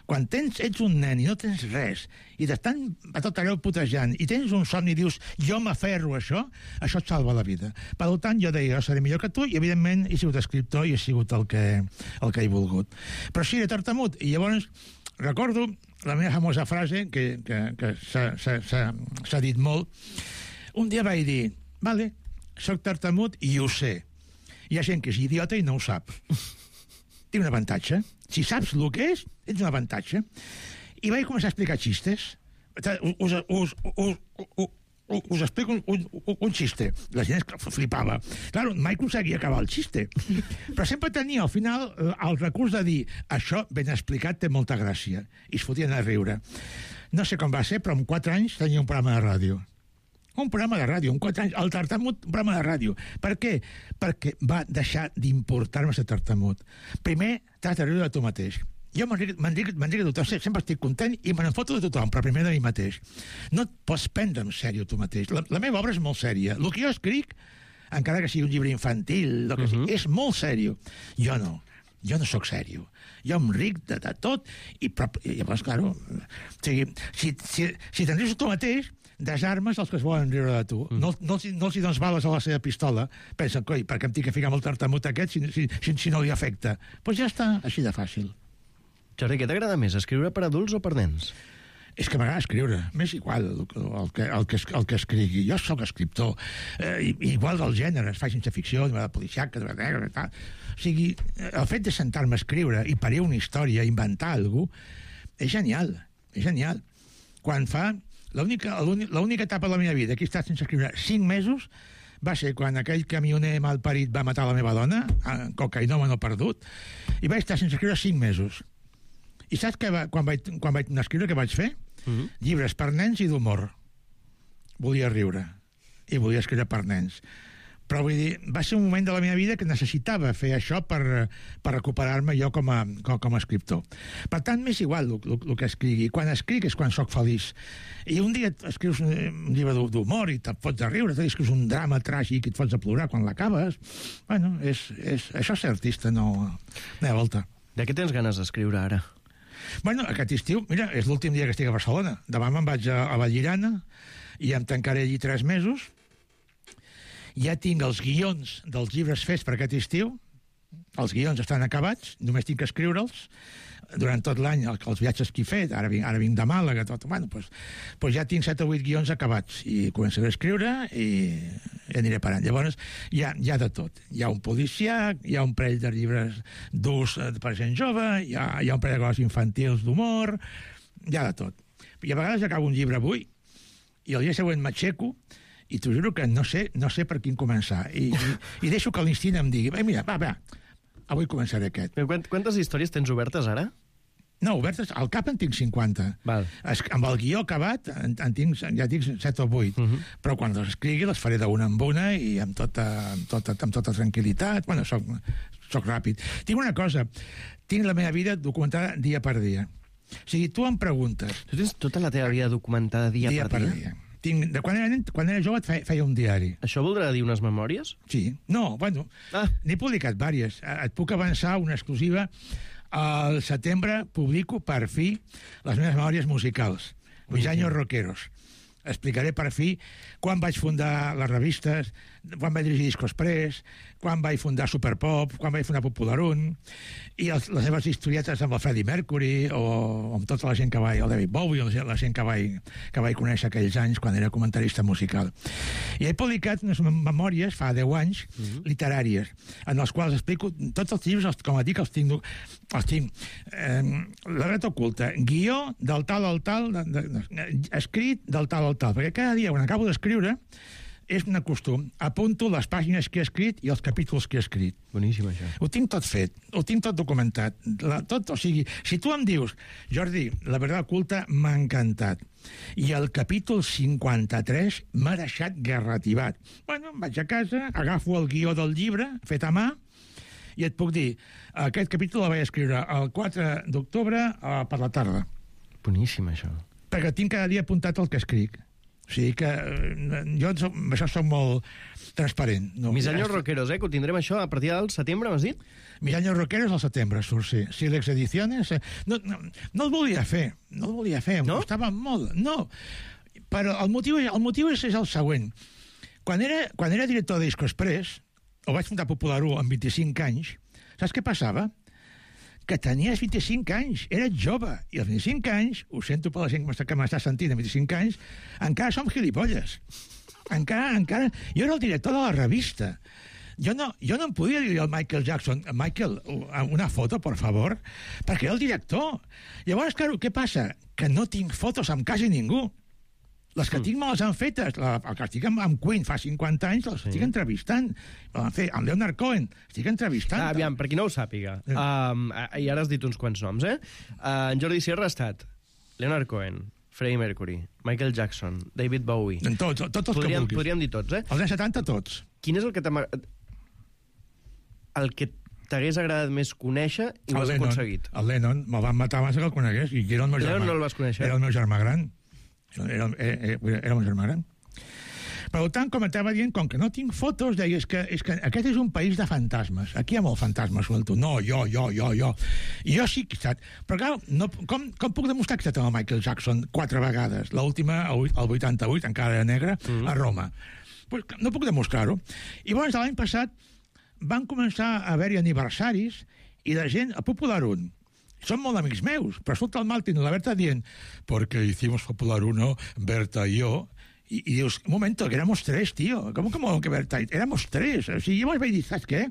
Quan ets un nen i no tens res, i t'estan a tot arreu putejant, i tens un somni i dius, jo m'aferro a això et salva la vida. Per tant, jo deia, jo seré millor que tu, i evidentment he sigut escriptor i he sigut el que he volgut. Però sí, era tartamut, i llavors recordo la meva famosa frase, que s'ha dit molt. Un dia vaig dir, vale, soc tartamut i ho sé. Hi ha gent que és idiota i no ho sap. Tinc un avantatge. Si saps el que és, ets un avantatge. I vaig començar a explicar xistes. Us explico un xiste. La gent flipava. Claro, mai aconseguia acabar el xiste. Però sempre tenia al final el recurs de dir això ben explicat té molta gràcia. I es fotien a riure. No sé com va ser, però amb 4 anys tenia un programa de ràdio. Un programa de ràdio, amb 4 anys, el tartamut, un programa de ràdio. Per què? Perquè va deixar d'importar-me ser tartamut. Primer, t'has de riure de tu mateix. Jo m'enric de tothom, sempre estic content i me n'enfoto de tothom, però primer de mi mateix. No et pots prendre en sèrio tu mateix. La meva obra és molt sèria. El que jo escric, encara que sigui un llibre infantil, és molt sèrio. Jo no sóc sèrio. Jo em ric de tot i llavors, claro, si te'n rius tu mateix, desarmes els que es volen riure de tu. No els hi dones bales a la seva pistola. Pensen, coi, per què em tinc que ficar amb el tartamut aquest si no li afecta? Doncs ja està, així de fàcil.
Jordi, què t'agrada més, escriure per adults o per nens?
És que m'agrada escriure, m'és igual el que escrigui. Jo sóc escriptor, igual del gènere, es fa ciència ficció, de policiaca, de negra, tal. O sigui, el fet de sentar-me a escriure i parir una història, inventar alguna cosa, és genial, és genial. Quan fa L'única etapa de la meva vida que he estat sense escriure 5 mesos va ser quan aquell camioner malparit va matar la meva dona, cocainòmeno perdut, i vaig estar sense escriure 5 mesos. I saps quan vaig escriure què vaig fer? Llibres per nens i d'humor. Volia riure i volia escriure per nens. Però vull dir, va ser un moment de la meva vida que necessitava fer això per recuperar-me jo com a escriptor. Per tant, m'és igual el que escrigui. Quan escric és quan sóc feliç. I un dia escrius un llibre d'humor i te'n fots a riure, escrius un drama tràgic i et fots a plorar quan l'acabes. Bueno, això és ser artista, no hi ha volta.
De què tens ganes d'escriure ara?
Bueno, aquest estiu, mira, és l'últim dia que estic a Barcelona. Demà me'n vaig a Vallirana i em tancaré allí 3 mesos. Ja tinc els guions dels llibres fets per aquest estiu. Els guions estan acabats, només tinc que escriure'ls. Durant tot l'any, els viatges que he fet, ara vinc de Màlaga, tot, bueno, doncs ja tinc 7 o 8 guions acabats i començaré a escriure i aniré parant. Llavors, hi ha de tot. Hi ha un policíac, hi ha un parell de llibres durs per gent jove, hi ha un parell de coses infantils d'humor, hi ha de tot. I a vegades acabo un llibre avui i el dia següent m'aixeco i t'ho juro que no sé per quin començar. I deixo que l'instint em digui, mira, va, avui començaré aquest.
Quantes històries tens obertes ara?
No, obertes, al cap en tinc 50.
Val.
Amb el guió acabat ja tinc 7 o 8. Però quan les escrigui les faré d'una en una i amb tota tranquil·litat. Bueno, soc ràpid. Tinc una cosa, tinc la meva vida documentada dia per dia. O sigui, tu em preguntes...
Tu tens tota la teva vida documentada dia per dia?
Quan era jove feia un diari.
Això voldrà dir unes memòries?
Sí. No, bueno, n'he publicat diverses. Et puc avançar una exclusiva. Al setembre publico, per fi, les meves memòries musicals. Mis años rockeros. Explicaré per fi quan vaig fundar les revistes, quan vaig dirigir Discos Press, quan vaig fundar Superpop, quan vaig fundar Popular 1, i les seves historietes amb el Freddie Mercury o amb tota la gent que vaig, el David Bowie, o la gent que vaig conèixer aquells anys quan era comentarista musical. I he publicat unes memòries, fa 10 anys, literàries, en les quals explico tots els llibres, com et dic, els tinc La Ret Oculta, guió del tal al tal, escrit del tal al tal, perquè cada dia, quan acabo d'escriure, és un costum. Apunto les pàgines que he escrit i els capítols que he escrit.
Boníssim, això.
Ho tinc tot fet, ho tinc tot documentat. O sigui, si tu em dius, Jordi, La Verdad Oculta m'ha encantat, i el capítol 53 m'ha deixat garrativat. Bueno, vaig a casa, agafo el guió del llibre, fet a mà, i et puc dir, aquest capítol el vaig escriure el 4 d'octubre per la tarda.
Boníssim, això.
Perquè tinc cada dia apuntat el que escric. O sigui que jo això soc molt transparent. No,
Mis años rockeros, que ho tindrem això a partir del setembre, m'has dit?
Mis años rockeros al setembre, surt, sí. Sílex Ediciones... No el volia fer, em costava molt. No, però el motiu és el següent. Quan era director de Discos Press, o vaig fundar Popular 1 amb 25 anys, saps què passava? Que tenies 25 anys, eres jove, i als 25 anys, ho sento per la gent que m'està sentint, a 25 anys, encara som gilipolles. Encara... Jo era el director de la revista. Jo no em podia dir al Michael Jackson, Michael, una foto, por favor, perquè era el director. Llavors, claro, què passa? Que no tinc fotos amb quasi ningú. Les que tinc me les han fetes. El que estic amb Queen fa 50 anys, les estic entrevistant. Amb Leonard Cohen, estic entrevistant.
Aviam, per qui no ho sàpiga, i ara has dit uns quants noms, en Jordi Sierra ha estat Leonard Cohen, Freddie Mercury, Michael Jackson, David Bowie...
Tots els que vulguis.
Podríem dir tots,
Els anys 70, tots.
Quin és el que t'hagués agradat més conèixer i ho has aconseguit?
El Lennon, me'l van matar abans que el conegués, i era el meu germà.
Lennon no el vas conèixer?
Era el meu germà gran. Era el meu germà gran. Per tant, com estava dient, com que no tinc fotos, deia, és que aquest és un país de fantasmes. Aquí hi ha molt fantasmes, suelto. No, jo. I jo sí que he estat. Però, clar, com puc demostrar que he estat amb el Michael Jackson 4 vegades? L'última, el 88, encara era negre, a Roma. Pues, no puc demostrar-ho. I llavors, l'any passat, van començar a haver-hi aniversaris i la gent, a Popular 1, són molt amics meus, però surt el Martín i la Berta dient, porque hicimos Popular 1, Berta y yo, y dius, un momento, que éramos 3, tío, ¿cómo que Berta? Éramos 3, o sigui, llavors vaig dir, saps què?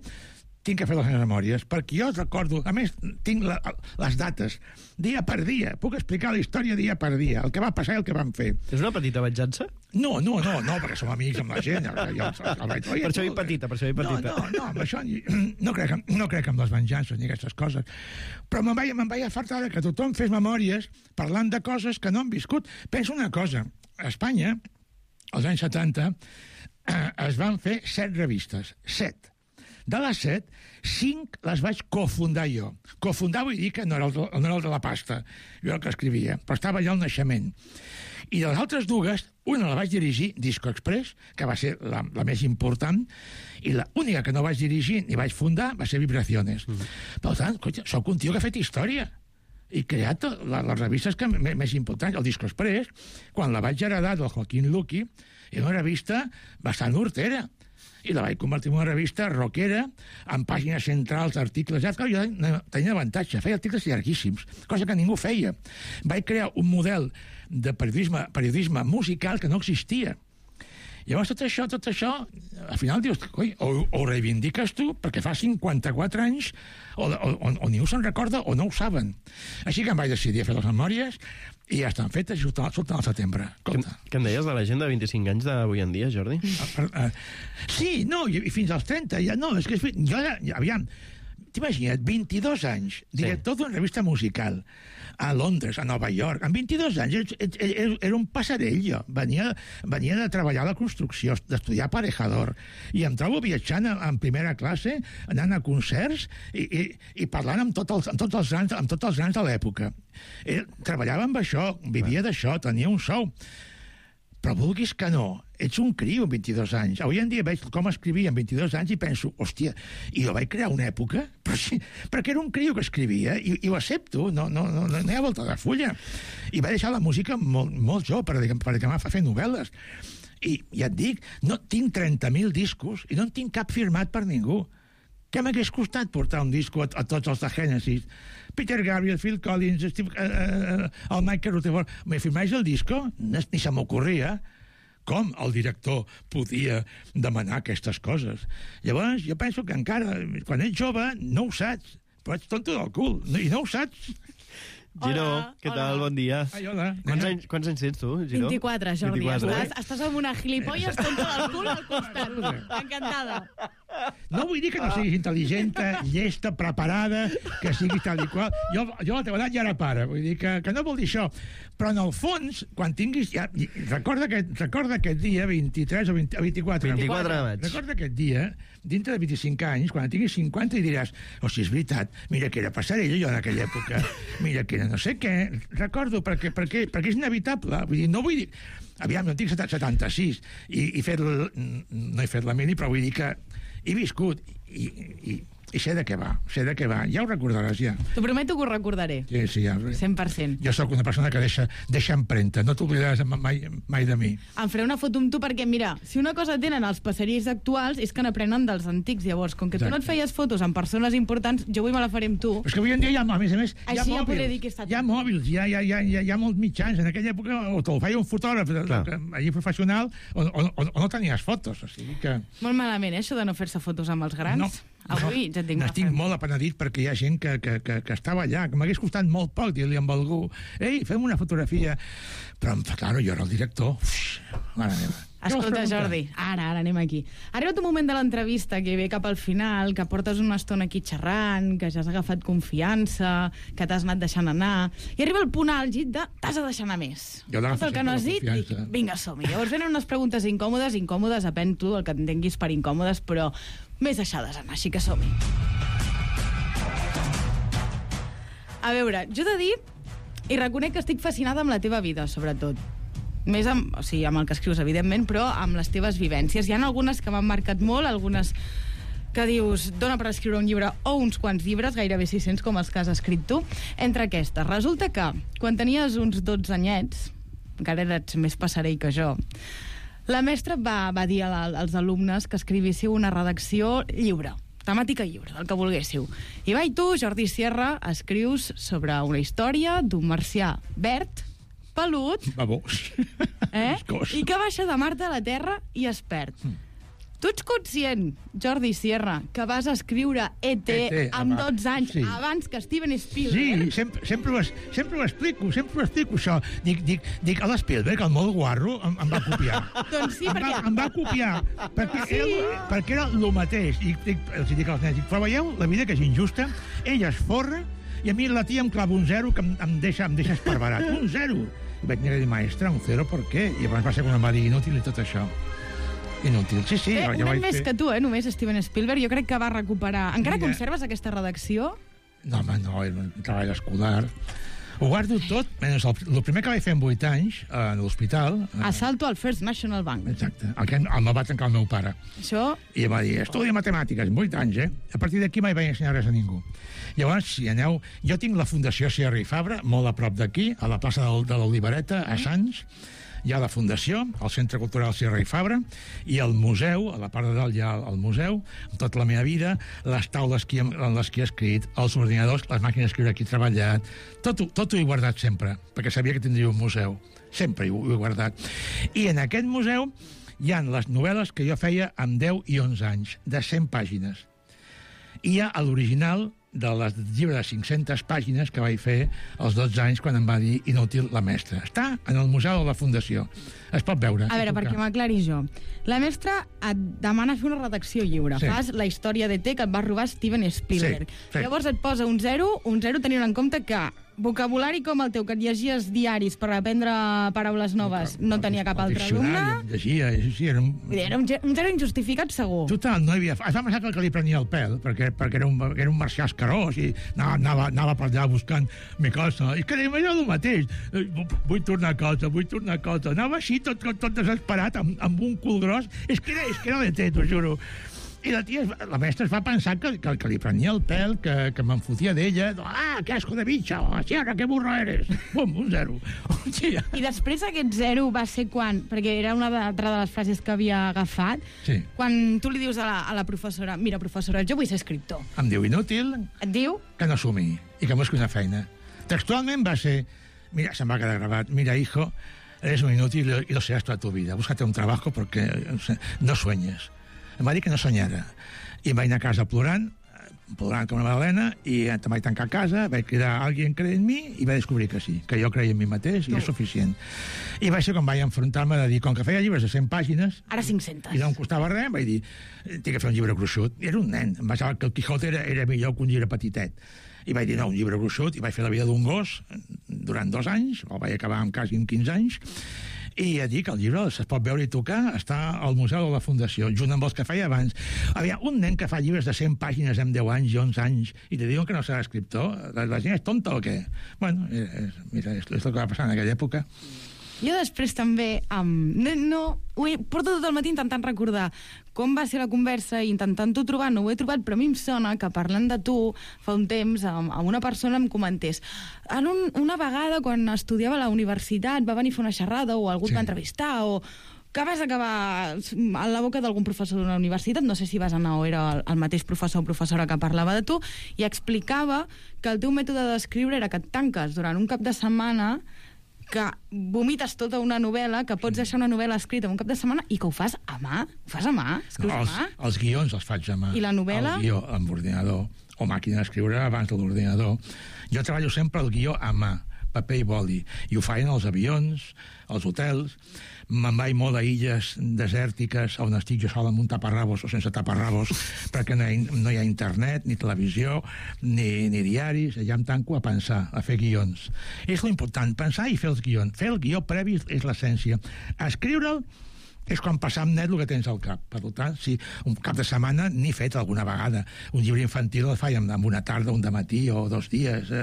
tinc que fer les memòries, perquè jo recordo, a més, tinc les dates, dia per dia, puc explicar la història dia per dia, el que va passar i el que vam fer.
És una petita venjança?
No, perquè som amics amb la gent.
Per això hi petita.
No, amb això no crec en les venjances ni aquestes coses. Però me'n vaig afartar que tothom fes memòries parlant de coses que no han viscut. Pensa una cosa, a Espanya, als anys 70, es van fer 7 revistes. 7. De les 7, 5 les vaig cofundar jo. Cofundar vull dir que no era el de la pasta, jo el que escrivia, però estava allà al naixement. I de les altres dues, una la vaig dirigir, Disco Express, que va ser la més important, i l'única que no vaig dirigir ni vaig fundar va ser Vibraciones. Per tant, soc un tio que ha fet història i creat les revistes més importants. El Disco Express, quan la vaig heredar del Joaquín Luqui, era una revista bastant hortera, i la vaig convertir en una revista rockera, amb pàgines centrals, articles... Jo tenia avantatge, feia articles llarguíssims, cosa que ningú feia. Vaig crear un model de periodisme musical que no existia. Llavors, tot això, al final dius, coi, o reivindiques tu, perquè fa 54 anys, o ningú se'n recorda o no ho saben. Així que em vaig decidir a fer les memòries i ja estan fetes, surten al setembre.
Què en deies de la gent de 25 anys d'avui en dia, Jordi?
Sí, no, i fins als 30, ja no, és que jo, aviam, t'imagina't, 22 anys, director d'una revista musical, a Londres, a Nova York, amb 22 anys, era un passarell, jo. Venia de treballar a la construcció, d'estudiar aparejador, i em trobo viatjant en primera classe, anant a concerts i parlant amb tots els grans de l'època. Treballava amb això, vivia d'això, tenia un sou. Però vulguis que no, ets un criu amb 22 anys. Avui en dia veig com escrivia amb 22 anys i penso, hòstia, i jo vaig crear una època? Però sí, perquè era un criu que escrivia i ho accepto, no hi ha volta de fulla. I va deixar la música molt jove per acabar a fer novel·les. I ja et dic, no tinc 30.000 discos i no en tinc cap firmat per ningú. Què m'hagués costat portar un disco a tots els de Genesis? Peter Gabriel, Phil Collins, el Michael Rutherford... Me firmais el disco? Ni se m'ocorria com el director podia demanar aquestes coses. Llavors, jo penso que encara, quan ets jove, no ho saps, però ets tonto del cul, i no ho saps.
Giro, què tal? Bon dia.
Ai, hola.
Quants anys tens tu, Giro?
24, Jordi. Estàs amb una gilipolles tonta del cul al costat. Encantada.
No vull dir que no siguis intel·ligenta, llesta, preparada, que siguis tal i qual. Jo a la teva edat ja era pare, vull dir que no vol dir això. Però en el fons, quan tinguis... Recorda aquest dia, 23 o 24.
24 de maig.
Recorda aquest dia, dintre de 25 anys, quan tinguis 50 i diràs, si és veritat, mira que era passarella jo en aquella època, mira que era no sé què. Recordo, perquè és inevitable. Vull dir, no vull dir... Aviam, no tinc 76 i no he fet la mini, però vull dir que he viscut i sé de què va, ja ho recordaràs, ja.
T'ho prometo que ho recordaré.
Sí, ja.
100%.
Jo sóc una persona que deixa empremta, no t'oblidaràs mai de mi.
Em faré una foto amb tu perquè, mira, si una cosa tenen els passarells actuals és que n'aprenen dels antics, llavors, com que tu no et feies fotos amb persones importants, jo avui me la faré amb tu.
Però és que avui en dia a més a més, hi ha
mòbils.
Hi ha mòbils, hi ha molts mitjans. En aquella època o te'l feia un fotògraf allí professional o no tenies fotos, o sigui que...
Molt malament, això de no fer-se fotos amb els grans.
No.
Avui ja et dic...
N'estic molt apenedit perquè hi ha gent que estava allà, que m'hagués costat molt poc dir-li amb algú, ei, fem una fotografia. Però, claro, jo era el director. Mare meva.
Escolta, Jordi, ara anem aquí. Ha arribat un moment de l'entrevista que ve cap al final, que portes una estona aquí xerrant, que ja has agafat confiança, que t'has anat deixant anar, i arriba el punt àlgid de t'has de deixar anar més.
Jo
tot el que no has dit, dic, vinga, som-hi. Llavors venen unes preguntes incòmodes, depèn tu el que entenguis per incòmodes, però més deixades anar, així que som-hi. A veure, jo he de dir, i reconec que estic fascinada amb la teva vida, sobretot. Més amb el que escrius, evidentment, però amb les teves vivències. Hi ha algunes que m'han marcat molt, algunes que dius, dona per escriure un llibre o uns quants llibres, gairebé 600 com els que has escrit tu. Entre aquestes, resulta que quan tenies uns 12 anyets, encara eres més passarell que jo, la mestra va dir als alumnes que escrivíssiu una redacció lliure, temàtica lliure, del que volguéssiu. I tu, Jordi Sierra, escrius sobre una història d'un marcià verd, pelut,
babós,
i que baixa de Marte a la Terra i es perd. Tu ets conscient, Jordi Sierra, que vas escriure E.T. amb 12 anys, abans que Steven Spielberg?
Sí, sempre ho explico, això. Dic, a l'Spielberg, el molt guarro, em va copiar.
Doncs sí, perquè...
Em va copiar, perquè era el mateix. I els dic als nens, però veieu la vida que és injusta? Ella es forra i a mi la tia em clava un 0 que em deixa esparverat. Un 0! I vaig dir, maestra, un 0 per què? I abans va ser quan em va dir inútil i tot això. Inútil, sí.
Un any més que tu, només Steven Spielberg. Jo crec que va recuperar... Encara conserves aquesta redacció?
No, home, no, era un treball escolar. Ho guardo tot, menys el primer que vaig fer amb 8 anys, a l'hospital...
Assalto al First National Bank.
Exacte, el va tancar el meu pare.
Això...
I em va dir, estudia matemàtiques, 8 anys, A partir d'aquí mai vaig ensenyar res a ningú. Llavors, si aneu... Jo tinc la Fundació Sierra i Fabra, molt a prop d'aquí, a la plaça de l'Olivereta, a Sants. Hi ha la Fundació, el Centre Cultural Sierra i Fabra, i el museu, a la part de dalt hi ha el museu, amb tota la meva vida, les taules en les que he escrit, els ordinadors, les màquines d'escriure que he treballat, tot ho he guardat sempre, perquè sabia que tindria un museu. Sempre ho he guardat. I en aquest museu hi ha les novel·les que jo feia amb 10 i 11 anys, de 100 pàgines. I hi ha l'original de les llibre de 500 pàgines que vaig fer als 12 anys quan em va dir inútil la mestra. Està en el Museu de la Fundació. Es pot veure.
A veure, perquè m'aclari jo. La mestra et demana fer una redacció lliure.
Sí.
Fas la història d'E.T. que et va robar Steven Spielberg.
Sí.
Llavors et posa un 0 tenint en compte que vocabulari com el teu, que et llegies diaris per aprendre paraules noves, no tenia cap altre alumne.
Llegia, sí, era un...
Era un 0 injustificat, segur.
Total, no hi havia... Es va pensar que li prenia el pèl, perquè era un marcià escarós i anava per allà buscant mi cosa. I que deia allò el mateix. Vull tornar a casa. Anava així, tot desesperat, amb un cul gros. És que era l'E.T., t'ho juro. I la mestra es va pensar que li prenia el pèl, que me'n fotia d'ella. Ah, que asco de bitxa! Sierra, que burro eres! Bum, un 0.
I després aquest 0 va ser quan? Perquè era una altra de les frases que havia agafat.
Sí.
Quan tu li dius a la professora, mira, professora, jo vull ser escriptor.
Em diu inútil.
Et diu?
Que no assumi i que busqui una feina. Textualment va ser... Mira, se'm va quedar gravat. Mira, hijo, eres un inútil y lo serás toda tu vida. Búscate un trabajo porque no sueñes. Em va dir que no soñara. I em vaig anar a casa plorant com una magdalena, i em vaig tancar a casa, vaig cridar a alguien que creia en mi, i vaig descobrir que sí, que jo creia en mi mateix, i és suficient. I va ser quan vaig enfrontar-me de dir, com que feia llibres de 100 pàgines...
Ara 500.
I no em costava res, vaig dir, tinc que fer un llibre gruixut. I era un nen, em va semblar que el Quijote era millor que un llibre petitet. I vaig dir, no, un llibre gruixut, i vaig fer la vida d'un gos durant 2 anys, el vaig acabar amb quasi 15 anys, i ja dic, el llibre es pot veure i tocar, està al Museu de la Fundació, junt amb els que feia abans. Havia un nen que fa llibres de 100 pàgines amb 10 anys i 11 anys, i te diuen que no serà escriptor. La gent és tonta o què? Bueno, mira, és el que va passar en aquella època.
Jo després també porto tot el matí intentant recordar com va ser la conversa i intentant-ho trobar, no ho he trobat, però a mi em sona que parlant de tu fa un temps amb una persona em comentés una vegada quan estudiava a la universitat va venir a fer una xerrada o algú et va entrevistar o que vas acabar a la boca d'algun professor d'una universitat, no sé si vas anar o era el mateix professor o professora que parlava de tu, i explicava que el teu mètode d'escriure era que et tanques durant un cap de setmana, que vomites tota una novel·la, que pots deixar una novel·la escrita en un cap de setmana i que ho fas a mà. Ho fas a mà? Escrius a mà?
Els guions els faig a mà.
I la novel·la?
El guió amb ordinador, o màquina d'escriure abans de l'ordinador. Jo treballo sempre el guió a mà, paper i boli, i ho feien els avions, els hotels. Me'n vaig molt a illes desèrtiques on estic jo sol amb un taparrabos o sense taparrabos perquè no hi ha internet, ni televisió, ni diaris. Allà em tanco a pensar, a fer guions. És l'important, pensar i fer els guions. Fer el guió previ és l'essència. Escriure'l és quan passar amb net el que tens al cap. Per tant, si un cap de setmana n'he fet alguna vegada. Un llibre infantil el faig amb una tarda, un dematí o 2 dies,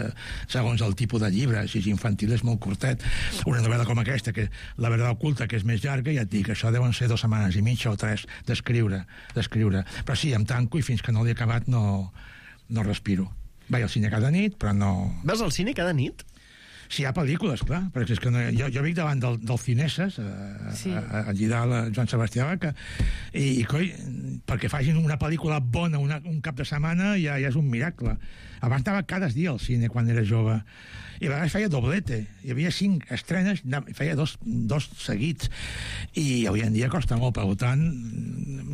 segons el tipus de llibre. Si és infantil és molt curtet. Una novel·la com aquesta, que La verdad oculta, que és més llarga, ja et dic, això deuen ser 2 setmanes i mitja o 3 d'escriure. Però sí, em tanco i fins que no l'he acabat no respiro. Vaig al cine cada nit, però no...
Vas al cine cada nit?
Si hi ha pel·lícules, clar, perquè és que no, jo vic davant del Cineses, allí dalt, Joan Sebastià Vaca, i coi, perquè facin una pel·lícula bona un cap de setmana ja és un miracle. Abans anava cada dia al cine quan era jove, i a vegades feia doblete, hi havia 5 estrenes, feia dos seguits, i avui en dia costa molt, per tant,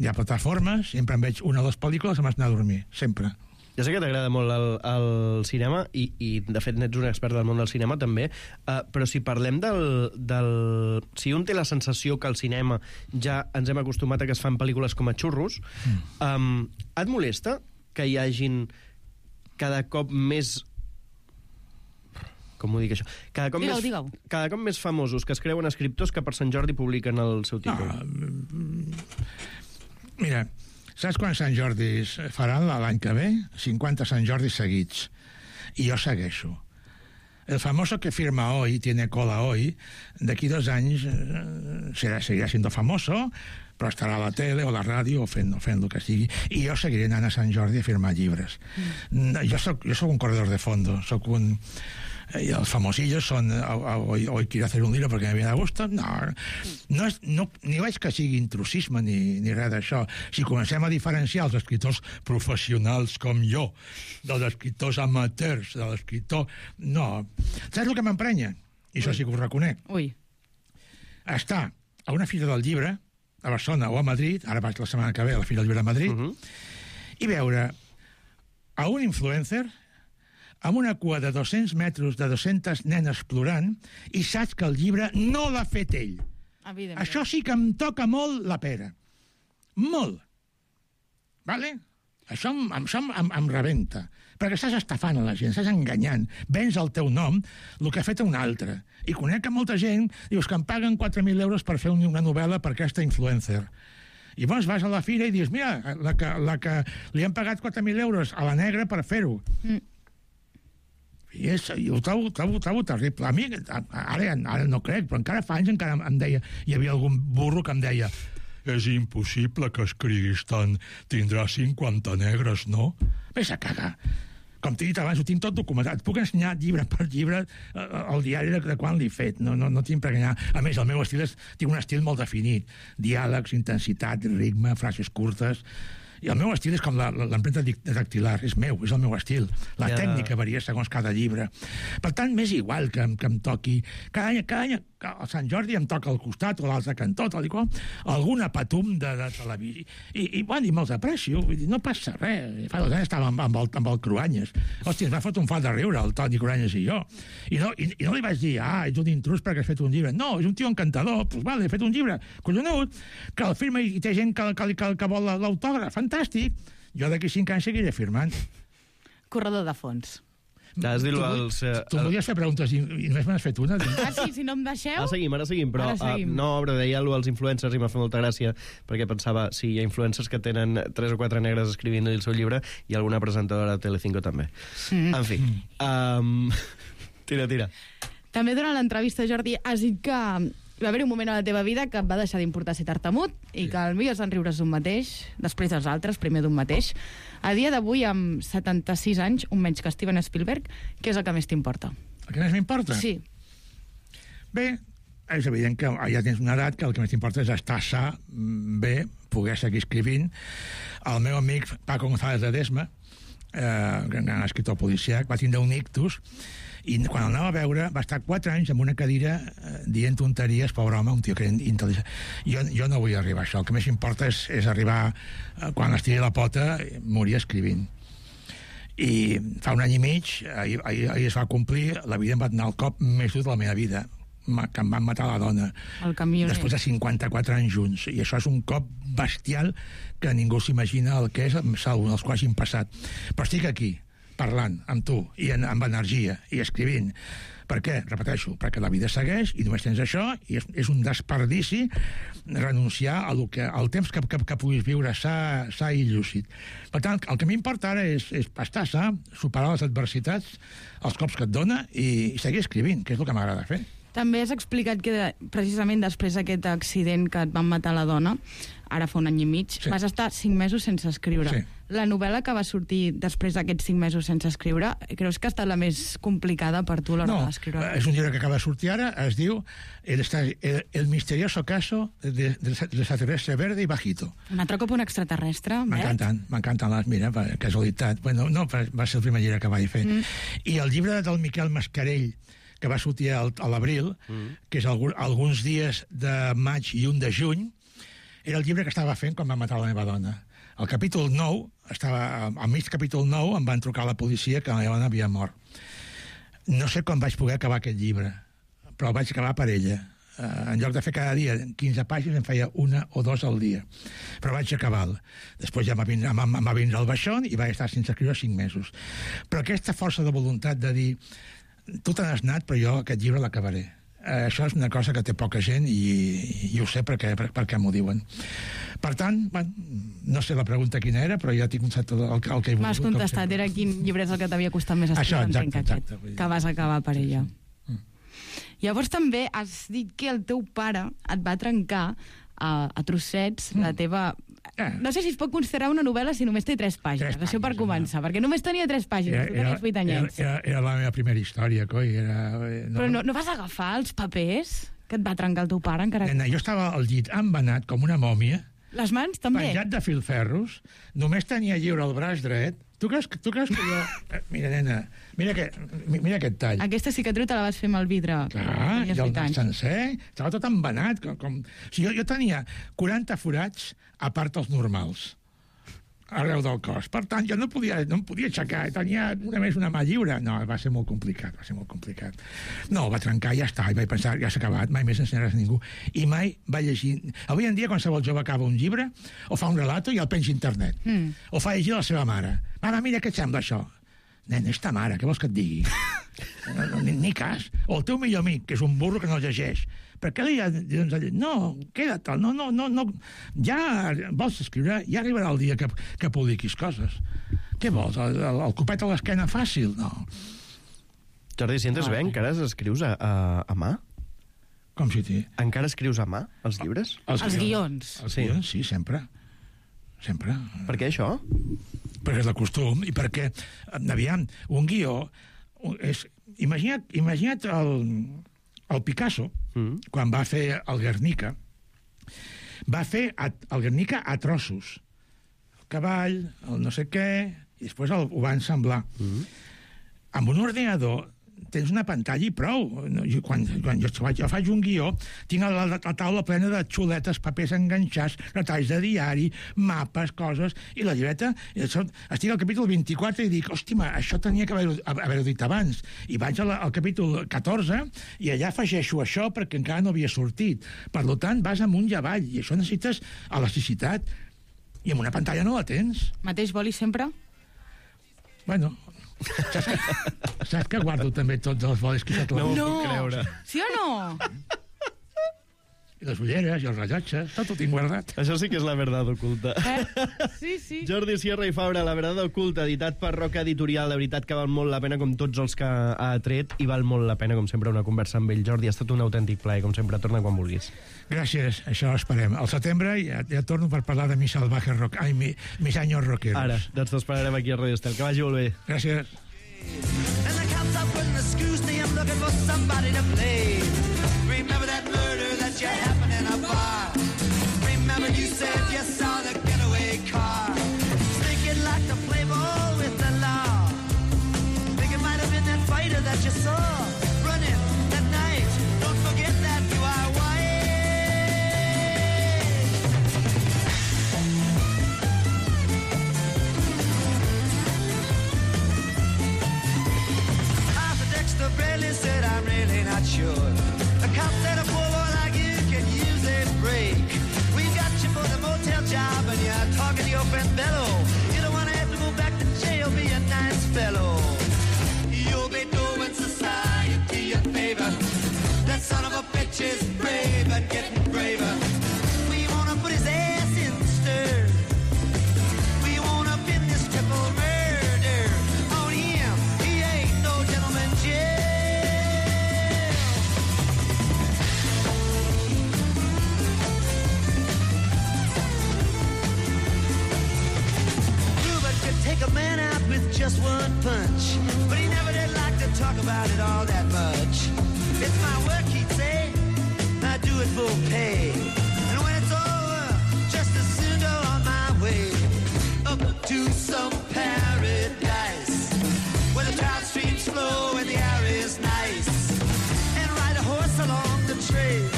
hi ha plataformes, sempre em veig una o 2 pel·lícules i m'has d'anar a dormir, sempre.
Ja sé que t'agrada molt el cinema i de fet n'ets un expert del món del cinema també, però si parlem si un té la sensació que al cinema ja ens hem acostumat a que es fan pel·lícules com a xurros, et molesta que hi hagin cada cop més... Com ho dic, això? Cada cop més famosos que es creuen escriptors que per Sant Jordi publiquen el seu títol?
Mira, saps quants Sant Jordis faran l'any que ve? 50 Sant Jordis seguits. I jo segueixo. El famoso que firma hoy, tiene cola hoy, d'aquí 2 anys seguirà siendo famoso, però estarà a la tele o a la ràdio o fent el que sigui. I jo seguiré anant a Sant Jordi a firmar llibres. Jo soc un corredor de fondo, soc un... Y los famosillos son hoy quiero hacer un libro porque me viene a gusto. No, ni veig que sigui intrusisme ni res d'això. Si comencem a diferenciar els escriptors professionals com jo dels escriptors amateurs, de l'escriptor... No. Saps el que m'emprenya? I això sí que ho reconec. Estar a una fira del llibre a Barcelona o a Madrid, ara vaig la setmana que ve a la fira del llibre a Madrid, i veure a un influencer amb una cua de 200 metres de 200 nenes plorant i saps que el llibre no l'ha fet ell. Això sí que em toca molt la pera. Molt. Vale? Això em rebenta. Perquè estàs estafant a la gent, estàs enganyant. Vens el teu nom, el que ha fet un altre. I conec a molta gent, dius que em paguen 4.000 euros per fer una novel·la per aquesta influencer. I llavors vas a la fira i dius, mira, la que li han pagat 4.000 euros a la negra per fer-ho. I ho trobo terrible. A mi, ara no crec, però encara fa anys encara em deia, hi havia algun burro que em deia, és impossible que escriguis tant, tindrà 50 negres, no? Ves a cagar. Com t'he dit abans, ho tinc tot documentat. Puc ensenyar llibre per llibre el diari de quan l'he fet. No tinc per enganyar. A més, el meu estil tinc un estil molt definit. Diàlegs, intensitat, ritme, frases curtes... I el meu estil és com l'empremta dactilar, és meu, és el meu estil. La tècnica varia segons cada llibre. Per tant, m'és igual que em toqui... Cada any, a Sant Jordi em toca al costat o a l'altre cantó, tal i qual, alguna patum de televisió. I me'ls aprecio, vull dir, no passa res. Fa 2 anys estàvem amb el Cruanyes. Hòstia, ens va fot un fart de riure, el Toni Cruanyes i jo. I no li vaig dir, ets un intrus perquè has fet un llibre. No, és un tio encantador. Pues vale, he fet un llibre collonut, que el firma i té gent que vol l'autògraf. Fantàstic. Jo d'aquí 5 anys seguiré firmant.
Corredor de fons.
Has dit
tu volies fer preguntes i només me n'has fet una.
Sí, si no em deixeu...
Ara seguim, però deia allò als influencers i m'ha fet molta gràcia perquè pensava, si hi ha influencers que tenen 3 o 4 negres escrivint el seu llibre i alguna presentadora de Telecinco també. En fi, tira.
També durant l'entrevista, Jordi, has dit que va haver un moment a la teva vida que et va deixar d'importar ser tartamut i que el millor és en riures d'un mateix, després dels altres, primer d'un mateix. A dia d'avui, amb 76 anys, un menys que Steven Spielberg, què és el que més t'importa?
El que més m'importa?
Sí.
Bé, és evident que ja tens una edat que el que més t'importa és estar sa, bé, poder seguir escrivint. El meu amic Paco González de Desma, gran escriptor policíac, va tindre un ictus i quan el anava a veure va estar 4 anys en una cadira dient tonteries, pobre home, un tio que era intel·ligent. Jo no vull arribar a això. El que més importa és arribar, quan estiri la pota, morir escrivint. I fa 1 any i mig, ahir es va complir, la vida em va donar el cop més dur de la meva vida, que em van matar la dona.
El camioner.
Després de 54 anys junts. I això és un cop bestial que ningú s'imagina el que és, salvo els quals hagin passat. Però estic aquí, parlant amb tu i amb energia i escrivint. Per què? Repeteixo, perquè la vida segueix i només tens això i és un desperdici renunciar al temps que puguis viure sa i llúcid. Per tant, el que m'importa ara és estar sa, superar les adversitats, els cops que et dona i seguir escrivint, que és el que m'agrada fer.
També has explicat que precisament després d'aquest accident que et van matar la dona, ara fa 1 any i mig, vas estar 5 mesos sense escriure. la novel·la que va sortir després d'aquests 5 mesos sense escriure, creus que ha estat la més complicada per tu a l'hora d'escriure?
No, és un llibre que acaba de sortir ara, es diu El misterioso caso del extraterrestre verde y bajito.
Un altre cop un extraterrestre,
M'encanten les, mira, per casualitat. Bueno, no, va ser el primer llibre que vaig fer. I el llibre del Miquel Mascarell, que va sortir a l'abril, que és alguns dies de maig i un de juny, era el llibre que estava fent quan va matar la meva dona. Al capítol 9, al mig capítol 9, em van trucar a la policia que la meva dona havia mort. No sé com vaig poder acabar aquest llibre, però el vaig acabar per ella. En lloc de fer cada dia 15 pàgines, em feia 1 o 2 al dia. Però vaig acabar-lo. Després ja va vindre el baixón i vaig estar sense escriure 5 mesos. Però aquesta força de voluntat de dir tu te n'has anat, però jo aquest llibre l'acabaré. Això és una cosa que té poca gent i ho sé perquè m'ho diuen. Per tant, no sé la pregunta quina era, però ja tinc contestat el que he volgut.
M'has contestat, era quin llibre és el que t'havia costat més escriure, entenc aquest, que vas acabar per ella. Llavors també has dit que el teu pare et va trencar a trossets la teva... No sé si es pot considerar una novel·la si només té 3 pàgines, això per començar, perquè només tenia 3 pàgines, tu tenies 8 anyets.
Era la meva primera història, coi.
Però no vas agafar els papers que et va trencar el teu pare?
Jo estava al llit embenat com una mòmia.
Les mans també?
Penjat de filferros, només tenia lliure el braç dret. Tu creus que jo... Mira, nena, mira aquest tall.
Aquesta cicatriu te la vas fer amb el vidre.
Clar, i el nas sencer, estava tot embenat. O sigui, jo tenia 40 forats a part dels normals, arreu del cos. Per tant, jo no em podia aixecar, tenia només una mà lliure. No, va ser molt complicat. No, va trencar i ja està, i vaig pensar, ja s'ha acabat, mai més ensenyaràs a ningú. I mai va llegir... Avui en dia, qualsevol jove acaba un llibre, o fa un relato i el penja a internet, o fa llegir a la seva mare. Mare, mira què et sembla això? Nen, és ta mare, què vols que et digui? Ni cas. O el teu millor amic, que és un burro que no llegeix. Per què li ha de dir? No, queda't, no. Ja vols escriure, ja arribarà el dia que publiquis coses. Què vols? El copet a l'esquena fàcil? No.
Jordi, si entres bé, encara escrius a mà?
Com si t'hi...
Encara escrius a mà, els llibres?
Els guions.
Els guions, sí, sempre. Sempre.
Per què això?
Perquè és de costum i perquè, aviam, un guió és... Imagina't el Picasso, quan va fer el Guernica, va fer el Guernica a trossos. El cavall, el no sé què, i després ho va ensamblar. Amb un ordinador tens una pantalla i prou. Quan jo faig un guió, tinc la taula plena de xuletes, papers enganxats, retalls de diari, mapes, coses, i la llibreta, estic al capítol 24 i dic, hòstia, això tenia que haver-ho dit abans. I vaig al capítol 14 i allà afegeixo això perquè encara no havia sortit. Per tant, vas amunt i avall, i això necessites elasticitat. I amb una pantalla no la tens.
Mateix boli sempre?
Bueno... Saps que guardo també tots els bolis que s'ha trobat?
No ho puc creure.
Sí o no?
I les ulleres i els rellotges, tot ho tinc guardat.
Això sí que és la verdad oculta.
Sí.
Jordi Sierra i Fabra, La verdad oculta, editat per Roca Editorial. De veritat que val molt la pena, com tots els que ha tret, i val molt la pena, com sempre, una conversa amb ell. Jordi, ha estat un autèntic plaer, com sempre, torna quan vulguis.
Gràcies, això esperem. Al setembre ja torno per parlar de mis salvajes mis años rockeros.
Ara, doncs t'esperarem aquí a Radio Estel. Que vagi molt bé.
Gràcies.
And the cops are putting the screws to him, looking for somebody to play. Remember that murder that you happened in a bar. Remember you said you saw the getaway car. Thinking like the play ball with the law. Think it might have been that fighter that you saw running that night. Don't forget that you are white. Dexter Bradley said, I'm really not sure. The cop said a poor boy like you can use a break. We got you for the motel job and you're talking to your friend Bello. You don't want to have to go back to jail, be a nice fellow. You'll be doing society a favor. That son of a bitch is brave and getting braver. We want to put his ass in the stir. We want to pin this triple murder on him. He ain't no gentleman jail. about it all that much. It's my work, he'd say, I do it for pay. And when it's over, just as soon go on my way up to some paradise where the trout streams flow and the air is nice, and ride a horse along the trail.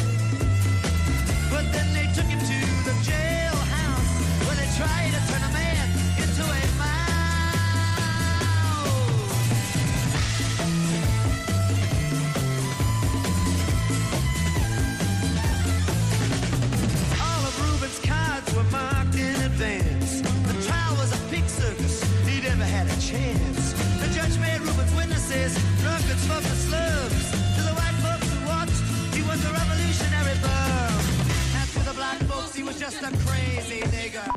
But then they took him to the jailhouse where they tried to turn a man into a mouse. All of Reuben's cards were marked in advance. The trial was a pig circus, he never had a chance. The judge made Reuben's witnesses drunkards from the slums. To the white folks who watched, he was a revolutionary bum. And to the black folks, he was just a crazy nigger.